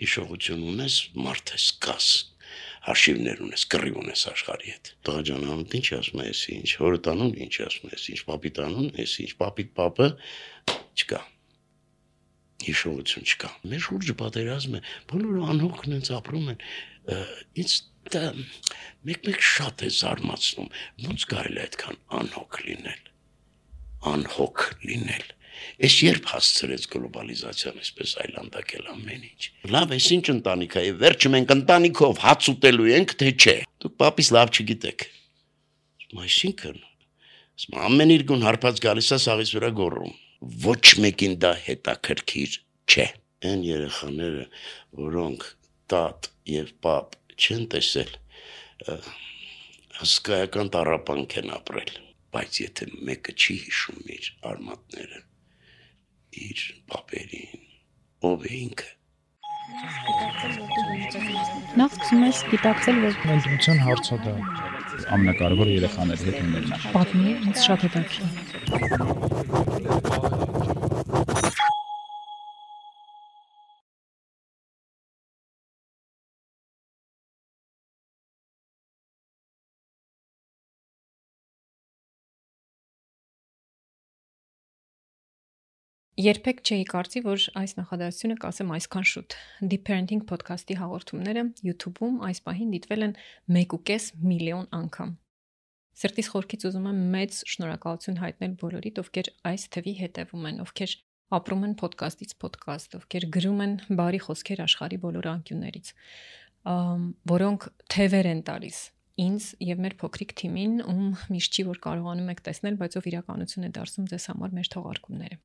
հիշողություն ունես, մարդ ես, կաս, հաշիվներ ունես, կռիվ ունես աշխարհի հետ։ Տղա ջան, անունդ ինչ ասում ես, ինչ, հորդ անուն ինչ ասում ես, ինչ պապիտ անուն ես, ինչ պապիտ պապը չկա։ Հիշողություն չկա։ Մեր շուրջը պատերազմ է, բոլորը անհոգն են ապրում են։ Ինձ դա մեկ շատ է զարմացնում, ոնց կարելի է այդքան անհոգ լինել։ Անհոգ լինել։ Ես երբ հասցրեց գլոբալիզացիան այսպես այլանդակել ամեն ինչ։ Լավ, այս ինչ ընտանիք է, վերջը մենք ընտանիքով հաց ուտելու ենք, թե չէ։ Դուք պապիս լավ չգիտեք։ Այսինքն, ամեն իրգուն հարբած գալիս է սաղից վրա գոռում։ Ոչ մեկին դա հետաքրքիր չէ։ Այն երեխաները, որոնք տատ եւ պապ չեն տեսել, հսկայական տառապանք են ապրել, բայց եթե մեկը չի հիշում իր արմատները, իր պապերին, ով է ինքը։ Նախ սկսում ես գիտակցել, որ Ընտրության հարցը դա ամենակարևորը երեխաների հետ ունենալն է։ պատմի, ինձ շատ հետաքրքիր։ Երբեք չէի կարծի, որ այս նախադասությունը կասեմ այսքան շուտ։ Deep Parenting podcast-ի հաղորդումները YouTube-ում այս պահին դիտվել են 1.5 միլիոն անգամ։ Սրտիս խորքից ուզում եմ մեծ շնորհակալություն հայտնել բոլորիդ, ովքեր այս թվի հետևում են, ովքեր ապրում են podcast-ից podcast, ովքեր գրում են բարի խոսքեր աշխարհի բոլոր անկյուններից, որոնք թևեր են տալիս ինձ եւ մեր փոքրիկ թիմին, ում միշտ չի որ կարողանում եք տեսնել, բայց ով իրականություն է դարձում ձեզ համար մեր թողարկումները։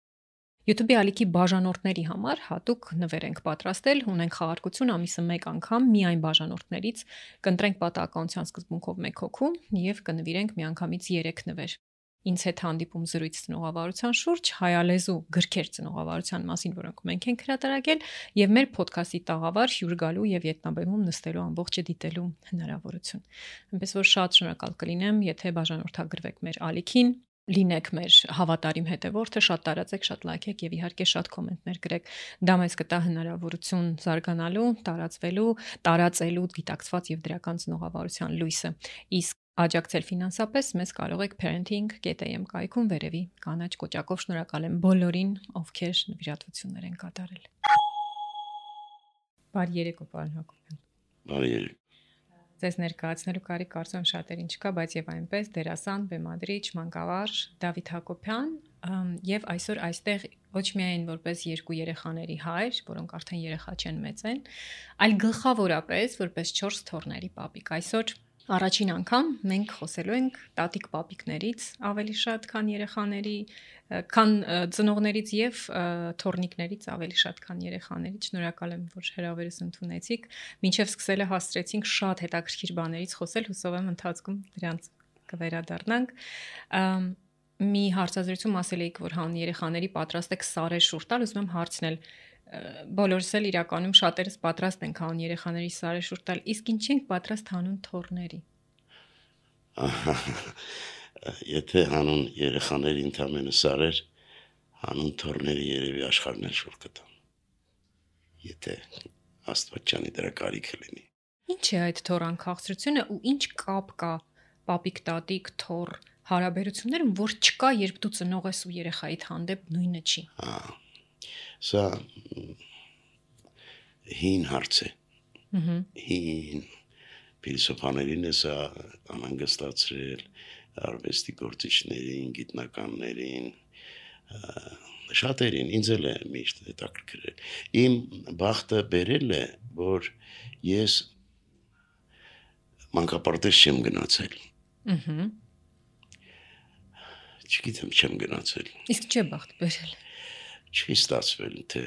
YouTube-ի ալիքի բաժանորդների համար հատուկ նվեր ենք պատրաստել, ունենք խաղարկություն ամիսը 1 անգամ միայն բաժանորդներից, կընտրենք պատահականության սկզբունքով 1 հոգու եւ կնվիրենք միանգամից 3 նվեր։ Ինձ հետ հանդիպում զրույց ծնողավարության շուրջ, հայալեզու գրքեր ծնողավարության մասին, որոնք մենք ենք հրատարակել, եւ մեր ոդքասթի տաղավար հյուր գալու եւ ետնաբեմում նստելու ամբողջը դիտելու հնարավորություն։ Այնպես որ շատ շնորհակալ կլինեմ, եթե բաժանորդագրվեք մեր ալիքին, լինեք մեր հավատարիմ հետևորդը, շատ տարածեք, շատ լայքեք եւ իհարկե շատ կոմենտներ գրեք։ Դա մեզ կտա հնարավորություն զարգանալու, տարածելու գիտակցված եւ դրական ծնողավարության լույսը։ Իսկ աջակցել ֆինանսապես մեզ կարող եք parenting.am կայքում վերևի կանաչ կոճակով շնորհակալ եմ բոլորին, ովքեր նվիրատվություններ են կատարել։ Բարի երեկո, պարոն Հակոբյան։ Բարի երեկո։ Ձեզ ներկայացնելու կարիք կարծում եմ շատերին չկա, բայց եւ այնպես դերասան, բեմադրիչ, մանկավար Դավիթ Հակոբյան եւ այսօր այստեղ ոչ միայն որպես 2 երեխաների հայր, որոնք արդեն երեխա չեն, մեծ են, այլ գլխավորապես որպես 4 թոռների պապիկ։ Այսօր առաջին անգամ մենք խոսելու ենք տատիկ պապիկներից ավելի շատ, քան երեխաների, քան ծնողներից եւ թոռնիկներից ավելի շատ, քան երեխաներից։ Շնորհակալ եմ, որ հրավերս ընդունեցիք։ Մինչև սկսելը հասցրեցինք շատ հետաքրքիր բաներից խոսել, հուսով եմ ընթացքում դրանց կվերադառնանք։ Մի հարցազրույցում ասել էիք, որ հան երեխաների պատրաստ եք սարեր շուրջ տալ, ուզում եմ հարցնել բոլորս էլ իրականում շատերս պատրաստ ենք հանուն երեխաների սարեր շուրջ տալ, իսկ ինչ ենք պատրաստ հանուն թոռների։ Եթե հանուն երեխաների ընդամենը սարեր, հանուն թոռների երևի աշխարհն էլ շուրջ կտան։ Եթե Աստված չանի դրա կարիքը լինի։ Ինչ է այդ թոռան քաղցրությունը ու ինչ կապ կա պապիկ, տատիկ, թոռ հարաբերություններում, որ չկա, երբ դու ծնող ես ու երեխայիդ հանդեպ նույնը չի։ Սա հին հարց է։ Հին փիլիսոփաներին է սա անհանգստացրել, արվեստի գործիչներին, գիտնականներին, շատերին, ինձ էլ է միշտ հետաքրքրել։ Իմ բախտը բերել է, որ ես մանկապարտեզ չեմ գնացել։ Չգիտեմ, չեմ գնացել։ Իսկ չէ բախտ բերել։ Չի ստացվել, թե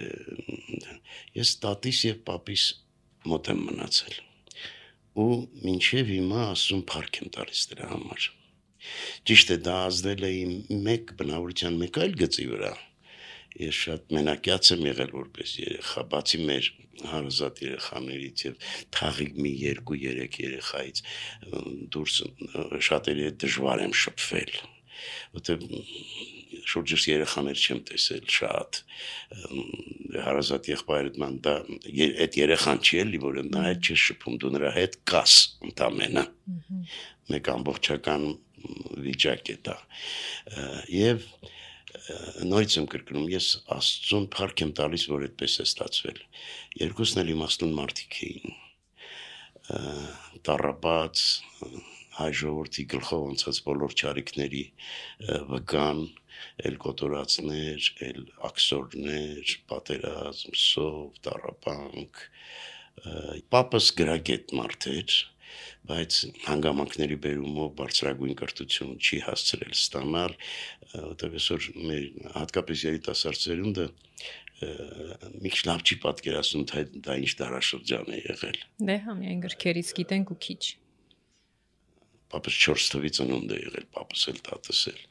ես տատիս եւ պապիս մոտ եմ մնացել ու մինչեւ հիմա ասում փառք եմ տալիս դրա համար։ Ճիշտ է, դա ազդել է իմ մեկ բնավորության մեկ այլ գծի վրա։ Ես շատ մենակյաց եմ եղել որպես երեխա, բացի մեր հարազատ երեխաներից եւ թաղիկ մի 2-3 երեխայից դուրս շատերի հետ դժվար եմ շփվել։ որտեղ շուրջս երեխաներ չեմ տեսել շատ հարազատ եղբայրդ ման դա այդ երեխան չի էլի որ նա հետ չի շփում դու նրա հետ կաս ընդամենը մեկ ամբողջական վիճակ է դա եւ նույնիսկ եմ կրկնում ես աստծուն փառք եմ տալիս որ այդպես է ստացվել երկուսն էլ իմաստուն մարդիկ էին տառապած հայ ժողովրդի գլխով անցած բոլոր չարիքների վգան, էլ կոտորածներ, էլ աքսորներ, պատերազմ, սով, տառապանք, պապս գրագետ մարդ էր, բայց հանգամանքների բերումով բարձրագույն կրթություն չի հասցրել ստանալ, որտեղ այսօր մեր հատկապես երիտասարդ սերունդը մի քիչ լավ չի պատկերացնում դա ինչ դարաշրջան է եղել։ Դե հա միայն գրքերից գիտենք ու քիչ։ Պապս 4 թվից ընունդ է եղել, պապս էլ տատս էլ,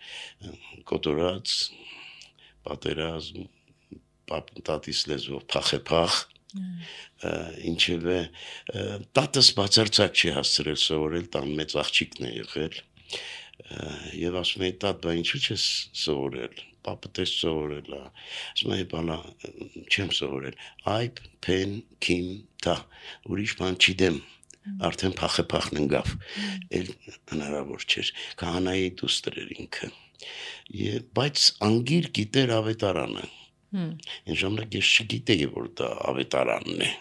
կոտորած, պատերազմ, տատիս լեզվով փախ, ինչևէ, տատս բացարձակ չի հասցրել սովորել, տան մեծ աղջիկն է եղել, եւ ասում էի, տատ, բա ինչու չես սովորել, պապը տես սովորել է, ասում էի, բալա, չեմ սովորել, այբ, պեն, կիմ, տա, ուրիշ բան չիդեմ, արդեն փախն ընկավ, էլ հնարավոր չէր, քահանայի դուստր էր ինքը, բայց անգիր գիտեր ավետարանը, այն ժամանակ ես չգիտեի, որ դա ավետարանն է,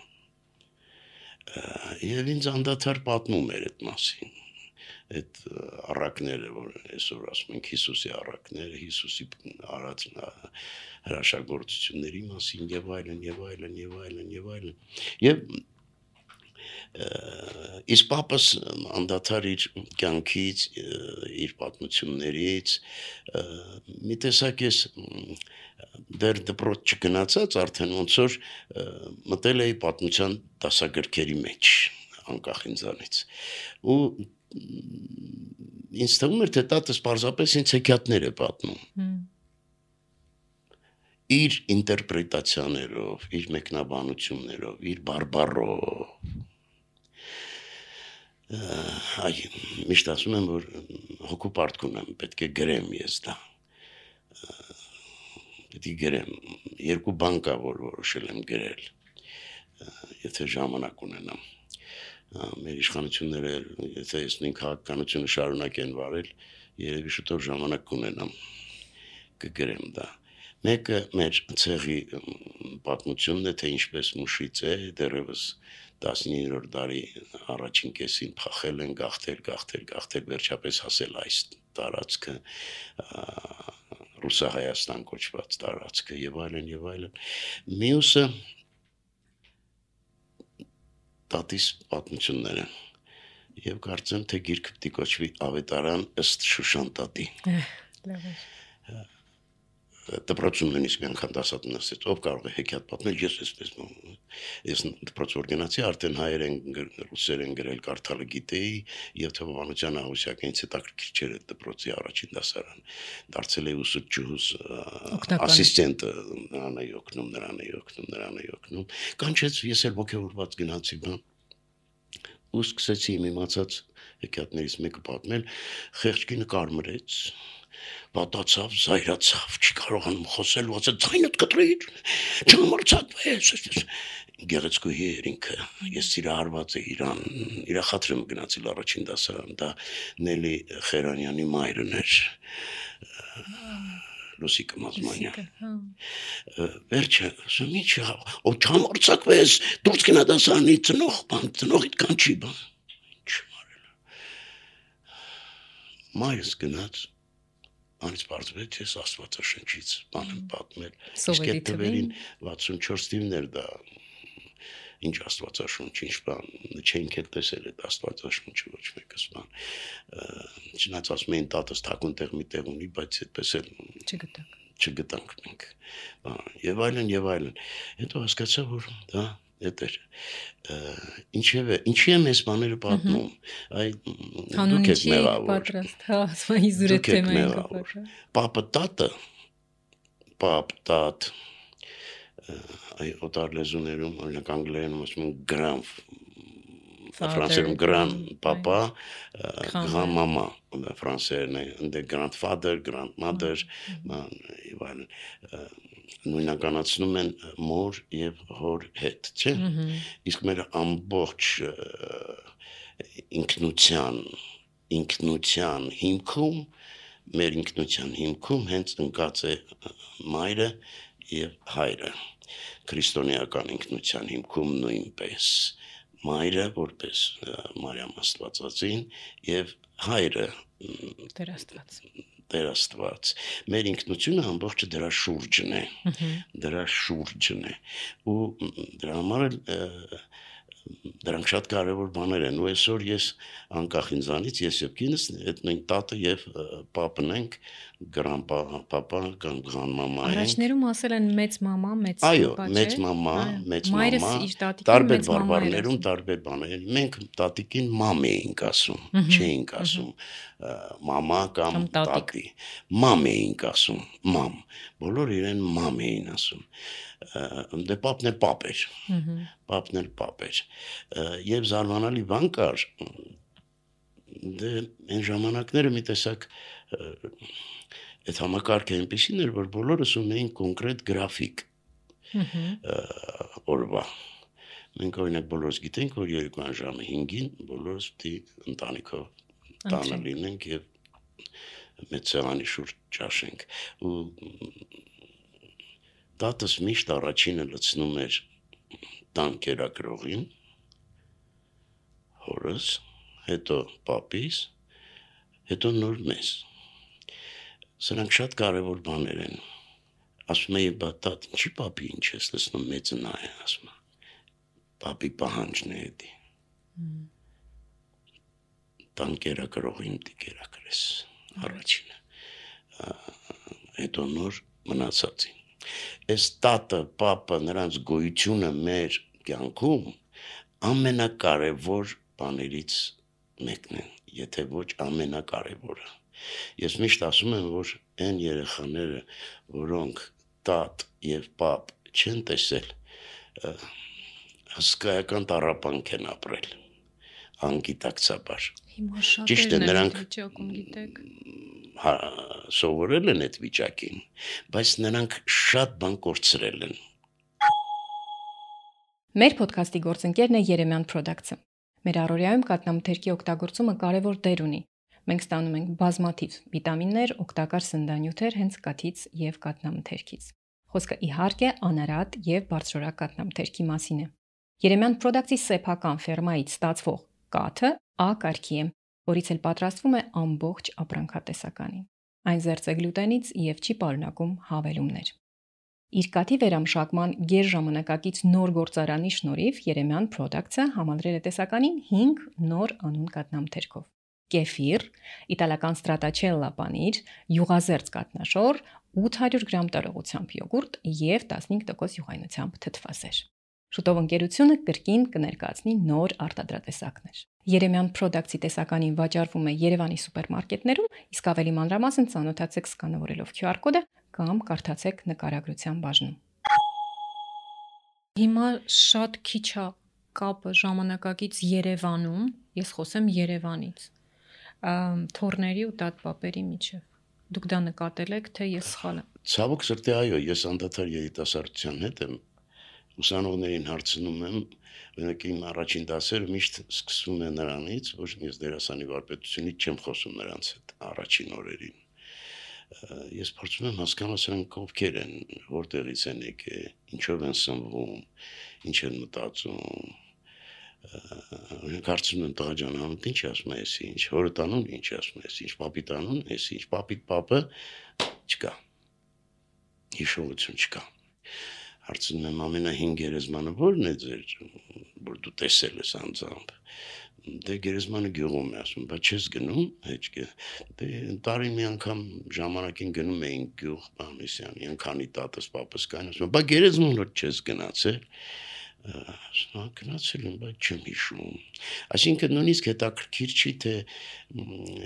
եւ ինձ անդադար պատմում էր այդ մասին, այդ առակները, որ այսօր ասում ենք Հիսուսի առակները, Հիսուսի արած հրաշագործությունների մասին եւ այլն, եւ իսկ պապս անդադար իր կյանքից, իր պատմություններից, մի տեսակ ես դեռ դպրոց չգնացած արդեն ոնց որ մտել էի պատմության դասագրքերի մեջ, անկախ ինձանից, ու ինձ թվում էր, թե տատս պարզապես ինձ հեքիաթներ է պատմում, իր ինտերպրետացիաներով, իր մեկնաբանություններով, իր բարբառով, այ միշտ ասում եմ, որ հոգու պարտք ունեմ, պետք է գրեմ ես դա, պետք է գրեմ, երկու բան կա, որ որոշել եմ գրել, եթե ժամանակ ունենամ, մեր իշխանությունները, եթե ես նույն քաղաքականությունը շարունակեն վարել, երևի շուտով ժամանակ կունենամ, կգրեմ դա, մեկը մեր ցեղի պատմությունն է, թե ինչպես մուշից է, դեռևս 19-րդ դարի առաջին կեսին փախել են, գաղթել, վերջապես հասել այս տարածքը, Ռուսահայաստան կոչված տարածքը եւ այլն, մյուսը տատիս պատմությունները եւ կարծեմ, թե գիրքը պիտի կոչվի ավետարան ըստ Շուշան տատի։ Դպրոցում նույնիսկ մի անգամ դասատուն ասեց, ով կարող է հեքիաթ պատմել, ես դպրոց որ գնացի, արդեն հայերեն, ռուսերեն գրել կարդալը գիտեի, եւ թվականության աղյուսակը ինձ հետաքրքիր չէր այդ դպրոցի առաջին դասարան, դարձել էի ուսուցչուհուս ասիստենտը, նրան էի օգնում, կանչեց, ես էլ ոգևորված գնացի բան, ու սկսեցի իմ իմացած հեքիաթներից մեկը պատմել, խեղճկինը կարմրեց, պատացավ, զայրացավ, չի կարողանում խոսել, ասաց ձայնդ կտրիր, չհամարձակվես, գեղեցկուհի էր ինքը, ես սիրահարված էի իրան, իրա խաթրեմ գնացել առաջին դասարան, դա Նելի Խերանյանի մայրն էր, Լուսիկը Մազմանյան, վերջը, ասում ինչ, ո չհամարձակվես, դուրս գնա դասարանի ծնողիդ կանչի բան, ինչ մարել, մայրս գնաց, անից պարզվեց ես աստվածաշնչից բան եմ պատմել, իսկ այդ թվերին 64 թիվներ դա, ինչ աստվածաշունչ, ինչ բան, չենք էլ տեսել այդ աստվածաշունչը ոչ մեկս բան, չնայած ասում էին տատս թաքուն տեղ մի տեղ ունի, բայց այդպես էլ չգտանք մենք, եւ այլն, հետո հասկացա, որ դա Էդ էր, ինչի եմ ես բաները պատմում, դուք եք մեղավոր, դուք եք մեղավոր, պապը տատը, տատ, օտար լեզուներում, օրինակ անգլերենում ասում են ֆրանսերեն grandpapa, grandmama, ֆրանսերեն է grandfather, grandmother, իվան նույնականացնում են մոր եւ հոր հետ, չէ՞։ Իսկ մեր ամբողջ ինքնության հիմքում, մեր ինքնության հիմքում հենց ընկած է մայրը եւ հայրը։ Քրիստոնեական ինքնության հիմքում նույնպես մայրը որպես Մարիամ Աստվածածին եւ հայրը Տեր Աստված։ Մեր ինքնությունը ամբողջը դրա շուրջն է։ Ու դրա համար դրանք շատ կարևոր բաներ են։ Ու այսօր ես անկախ ինձանից ես եւ կինս այդ նույն տատը եւ պապն ենք, grandpapa կամ grandmama ենք։ Առաջներում ասել են մեծ մամա, մեծ պապա, չէ՞։ Այո, մեծ մամա, տարբեր բարբառներում տարբեր բաներ։ Մենք տատիկին մամ էինք ասում, չէինք ասում մամա կամ տատի։ Մամ էինք ասում, մամ։ Բոլորը իրեն մամ էին ասում։ Դե պապն էլ պապ էր։ Պապն էլ պապ էր։ Եվ զարմանալի բան կար, դե այն ժամանակները մի տեսակ այդ համակարգը այնպեսին էր, որ բոլորս ունեին կոնկրետ գրաֆիկ օրվա։ Մենք օրինակ բոլորս գիտենք, որ երեկոյան ժամը 5-ին բոլորս պիտի ընտանիքով տանը լինենք եւ մեծ սեղանի շուրջ ճաշենք։ Ու տատս միշտ առաջինը լցնում էր տան կերակրողին, հորս, հետո պապիս, հետո նոր մեզ։ Սրանք շատ կարևոր բաներ են։ Ասում էի, բա տատ, ինչի պապի ինչ ես լցնում, մեծը նա է, ասում է։ Պապի պահանջն է էդի։ Տան կերակրողին պիտի կերակրես, առաջինը։ Հետո նոր մնացածին։ Այս տատը, պապը, նրանց գոյությունը մեր կյանքում ամենակարևոր բաներից մեկն է, եթե ոչ ամենակարևորը։ Ես միշտ ասում եմ, որ այն երեխաները, որոնք տատ եւ պապ չեն տեսել, հսկայական տառապանք են ապրել, անգիտակցաբար։ Հիմա շատ նրանք վիճակում գիտեք։ Սովորել են այդ վիճակին, բայց նրանք շատ բան կորցրել են։ Մեր ոդքասթի գործընկերն է Երեմյան Products-ը։ Մեր առօրյայում կաթնամթերքի օգտագործումը կարևոր դեր ունի։ Մենք ստանում ենք բազմաթիվ վիտամիններ, օգտակար սննդանյութեր հենց կաթից եւ կաթնամթերքից։ Խոսքը իհարկե անարատ եւ բարձրորակ կաթնամթերքի մասին է։ Երեմյան Products-ի սեփական ֆերմայից ստացվող կաթը A կարգի է, որից էլ պատրաստվում է ամբողջ ապրանքատեսականին։ Այն զերծ է գլյուտենից եւ չի պարունակում հավելումներ։ Իր կաթի վերամշակման գերժամանակակից նոր գործարանի շնորհիվ Երեմյան Products-ը համալրել է տեսականին 5 նոր անուն կաթնամթերքով։ Կեֆիր, իտալական ստրատաչելլա պանիր, յուղազերծ կաթնաշոր, 800 գրամ տարողությամբ յոգուրտ եւ 15% յուղայնությամբ թթվասեր։ Շուտով ընկերությունը կրկին կներկայացնի նոր արտադրատեսակներ։ Երեմյան Products-ի տեսականին վաճառվում է Երևանի սուպերմարկետներում, իսկ ավելի մանրամասն ծանոթացեք սկանավորելով QR կոդը կամ կարդացեք նկարագրության բաժնում։ Հիմա շատ քիչ է կապը ժամանակակից Երևանում, ես խոսեմ Երևանից, թորների ու տատպապերի միջև։ Դուք դա նկատել եք, թե ես սխալ եմ։ Ցավոք սրտի, այո, ես անդադար երիտասարդության հետ եմ ուսանողներին հարցնում եմ, օրինակ իմ առաջին դասերը միշտ սկսվում է նրանից, որ ես դերասանի վարպետությունից չեմ խոսում նրանց հետ առաջին օրերին։ Ես փորձում եմ հասկանալ սրանք ովքեր են, որտեղից են եկել, ինչով են սնվում, ինչ են մտածում։ Կարծում եմ տղա ջան, ամեն ինչ ասում ես, ինչ հորը տանուն, ինչ ասում ես, ինչ պապի տանուն, ես ինչ պապի պապը չկա։ Հիշողություն չկա։ Հարցնում եմ ամենահին գերեզմանը ո՞րն է ձեր, որ դու տեսել ես անձամբ։ Դե գերեզմանը գյուղում է, ասում, բայց չես գնում, հեչ։ Դե տարին մի անգամ ժամանակին գնում էինք գյուղ Պանիսյանի, անկանի տատս պապս կային, ասում, բայց գերեզման որ չես գնացել։ Ասում, գնացել եմ, բայց չեմ հիշում։ Այսինքն նույնիսկ հետաքրքիր չի, թե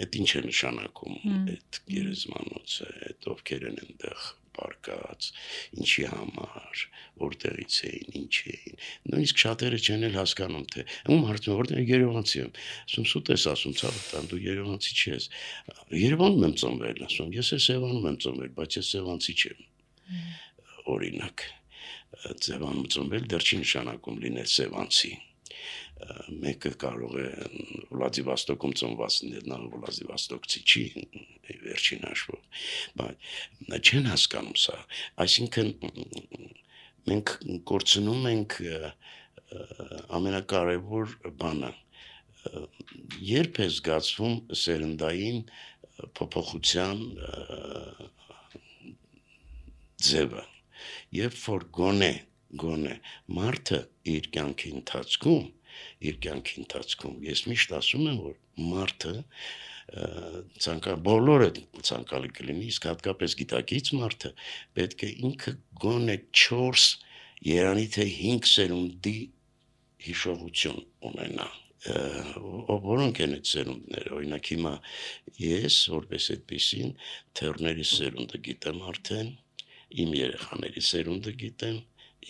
այդ ինչ է նշանակում այդ գերեզմանոցը, այդ ովքեր են այնտեղ պարկած, ինչի համար, որտեղից էին, ինչ էին։ Նույնիսկ շատերը չեն էլ հասկանում, թե ում հարցնում որտեղ Երևանցի եմ։ Ասում սուտ ես ասում, ցավ տան դու Երևանցի չես։ Երևանում եմ ծնվել, ասում ես Սևանում եմ ծնվել, բայց ես Սևանցի չեմ։ Օրինակ, Սևանում ծնվել դեռ չի նշանակում լինել Սևանցի։ Մեկը կարող է Վլադիվոստոկում ծնված լինել, նա Վլադիվոստոկցի չի վերջին հաշվով, բայց չեն հասկանում սա, այսինքն մենք կորցնում ենք ամենակարևոր բանը, երբ է զգացվում սերնդային փոփոխության ձևը, երբ որ գոնե մարդը իր կյանքի ընթացքում ես միշտ ասում եմ, որ մարդը բոլորը ցանկալի կլինի, իսկ հատկապես գիտակից մարդը պետք է ինքը գոնե 4, երանի թե 5 սերունդի հիշողություն ունենա, որոնք են այդ սերունդները, օրինակ հիմա ես, որպես այդպեսին, թեռների սերունդը գիտեմ արդեն, իմ երեխաների սերունդը գիտեմ,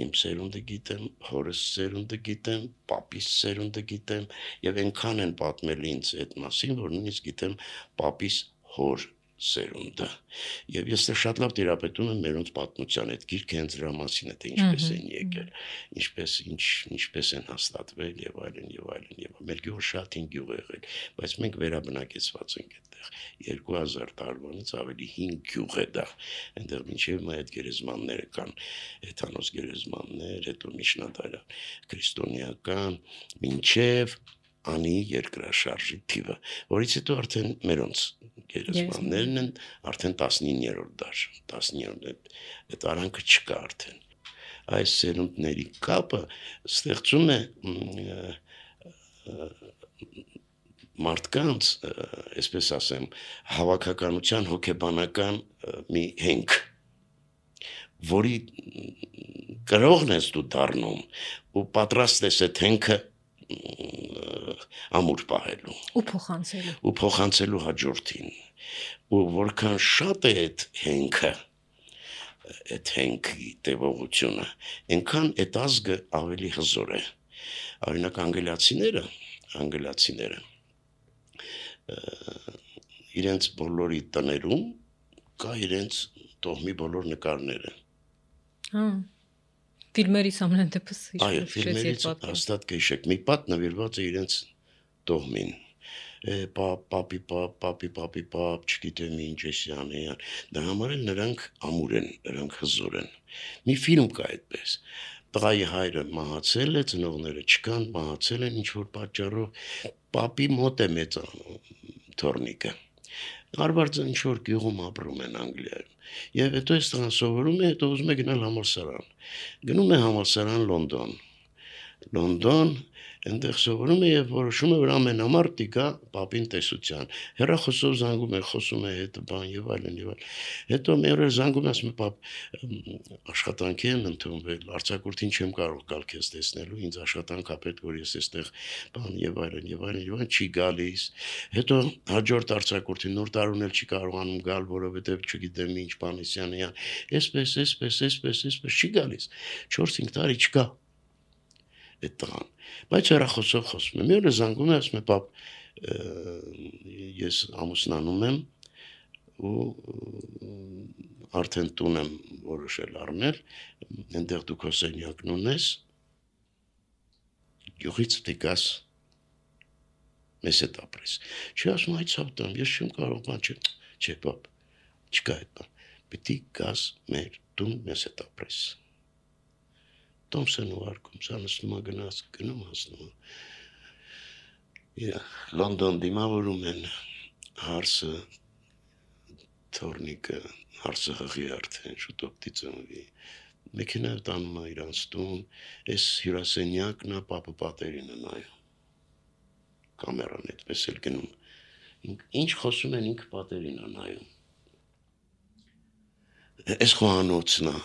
իմ սերունդը գիտեմ, հորս սերունդը գիտեմ, պապիս սերունդը գիտեմ, եւ այնքան են պատմել ինձ այդ մասին, որ նույնիսկ գիտեմ պապիս հոր սերունդը։ Եվ ես շատ լավ տիրապետում եմ մերոնց պատմության, այդ գիրքը հենց դրա մասին է, թե ինչպես են եկել, ինչպես են հաստատվել եւ այլն եւ այլն եւ մեր գյուղը շատ հին գյուղ է եղել, բայց մենք վերաբնակեցված ենք այդտեղ 2000 տարվանից ավելի հին գյուղ է դա, այնտեղ մինչեւ մա այդ գերեզմանները կան, հեթանոս գերեզմաններ, հետո միջնադարյան քրիստոնեական, մինչեւ անի երկրաշարժի թիվը, որից հետո արդեն մերոնց գերեզմաններն են արդեն 19-րդ դար, 19-րդ այդ արանքը չկա արդեն։ Այս սերունդների կապը ստեղծում է մարդկանց, այսպես ասեմ, հավաքականության հոգեբանական մի հենք, որի կրողն ես դու դառնում ու պատրաստ ես այդ հենքը ամուր պահելու ու փոխանցելու հաջորդին ու որքան շատ է այդ հենքի տևողությունը այնքան այդ ազգը ավելի հզոր է օրինակ անգլիացիները իրենց բոլորի տներում կա իրենց տոհմի բոլոր նկարները Ֆիլմերից ամեն դեպս այո, ֆիլմերից հաստատ կհիշեք, մի պատ նվիրված է իրենց տոհմին, պապի, չգիտեմ ինչ էսյան, դա համար էլ նրանք ամուր են, նրանք հզոր են, մի ֆիլմ կա այդպես, տղայի հայրը մահացել է, ծնողները չկան, մահացել են ինչ-որ պատճառով, պապի մոտ է մեծ թոռնիկը, արվարձը ինչ-որ գյուղում ապրում են Անգլիայում, եւ հետո այս տղան սովորում է, հետո ուզում է գնալ համալսարան, գնում է համալսարան Լոնդոն, այնտեղ սովորում է եւ որոշում է որ ամենամարտի գա պապին տեսության, հեռախոսով զանգում է, խոսում է հետ բան եւ այլն, հետո մի օր զանգում է, ասում է պապ, աշխատանքի եմ ընդունվել, արձակուրդին չեմ կարող գալ քեզ տեսնելու, ինձ աշխատանք ա պետք, որ ես այստեղ բան եւ այլն, չի գալիս, հետո հաջորդ արձակուրդին նոր տարուն էլ չի կարողանում գալ, որովհետեւ չգիտեմ ինչ բանիսյան, այսպես չի գալիս, 4-5 տարի չկա այդ տղան, բայց հեռախոսով խոսում է, մի օր զանգում է, ասում է պապ, ես ամուսնանում եմ ու արդեն տուն եմ որոշել առնել, այնտեղ դու քո սենյակն ունես, գյուղից դիկաս մեզ հետ ապրես, չի ասում այդ սավտան, ես չեմ կարող բան չէ պապ, չկա այդ բան, պիտի գաս մեր տուն մեզ հետ ապրես Տոմսեն ու արկում, սա նստում է գնում հասնում Լոնդոն դիմավորում են հարսը, թորնիկը, հարսը հղի արդեն, շուտով դիծնվի, մեքենայով տանում է իրանց տուն, այս հյուրասենյակն է պապը պատերին է նայում, կամերան այդպես էլ գնում, ինչ խոսում են ինքը պատերին է նայում, այս խոհանոցն է,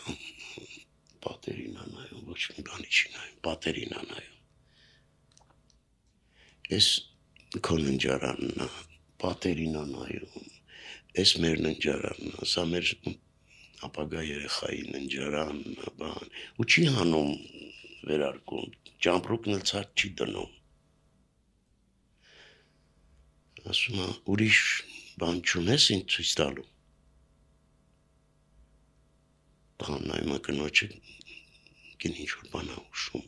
պատերին է նայում, ոչ մի բանի չի նայում, պատերին է նայում, այս քո ննջարանն է, պատերին է նայում, այս մեր ննջարանն է, սա մեր ապագա երեխային ընջարան, բան, ու չի հանում վերարկում, ճամպրուկն էլ ցած չի դնում։ Ասում է, ուրիշ բան չունես ինձ ցույց տալու։ Տղան նայում է կնոջը, գին ինչ-որ բան է ուշում։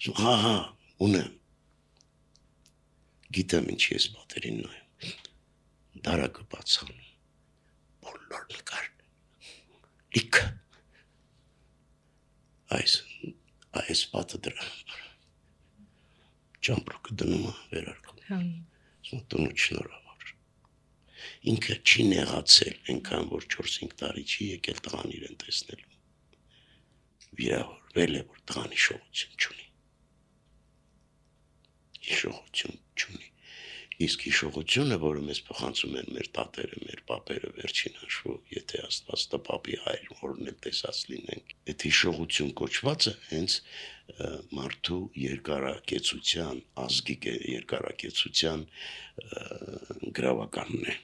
Ասում, հա, ունեմ։ Գիտեմ ինչի ես պատերին նայում։ Դարակը բացանում, բոլոր նկարն, լիքը, այս պատը դրա համար, ճամպրուկը դնում է վերարկում, տունու շնորհավոր, ինքը չի նեղացել, ենքան որ 4-5 տարի չի եկել տղան իրեն տեսնելու, վիրավորվել է, որ տղան հիշողություն չունի, իսկ հիշողությունը, որը մեզ փոխանցում են մեր տատերը, մեր պապերը վերջին հաշվով, եթե Աստված տա պապի հայր, որն էլ տեսած լինենք, այդ հիշողություն կոչվածը հենց մարդու երկարակեցության, ազգի երկարակեցության գրավականն է։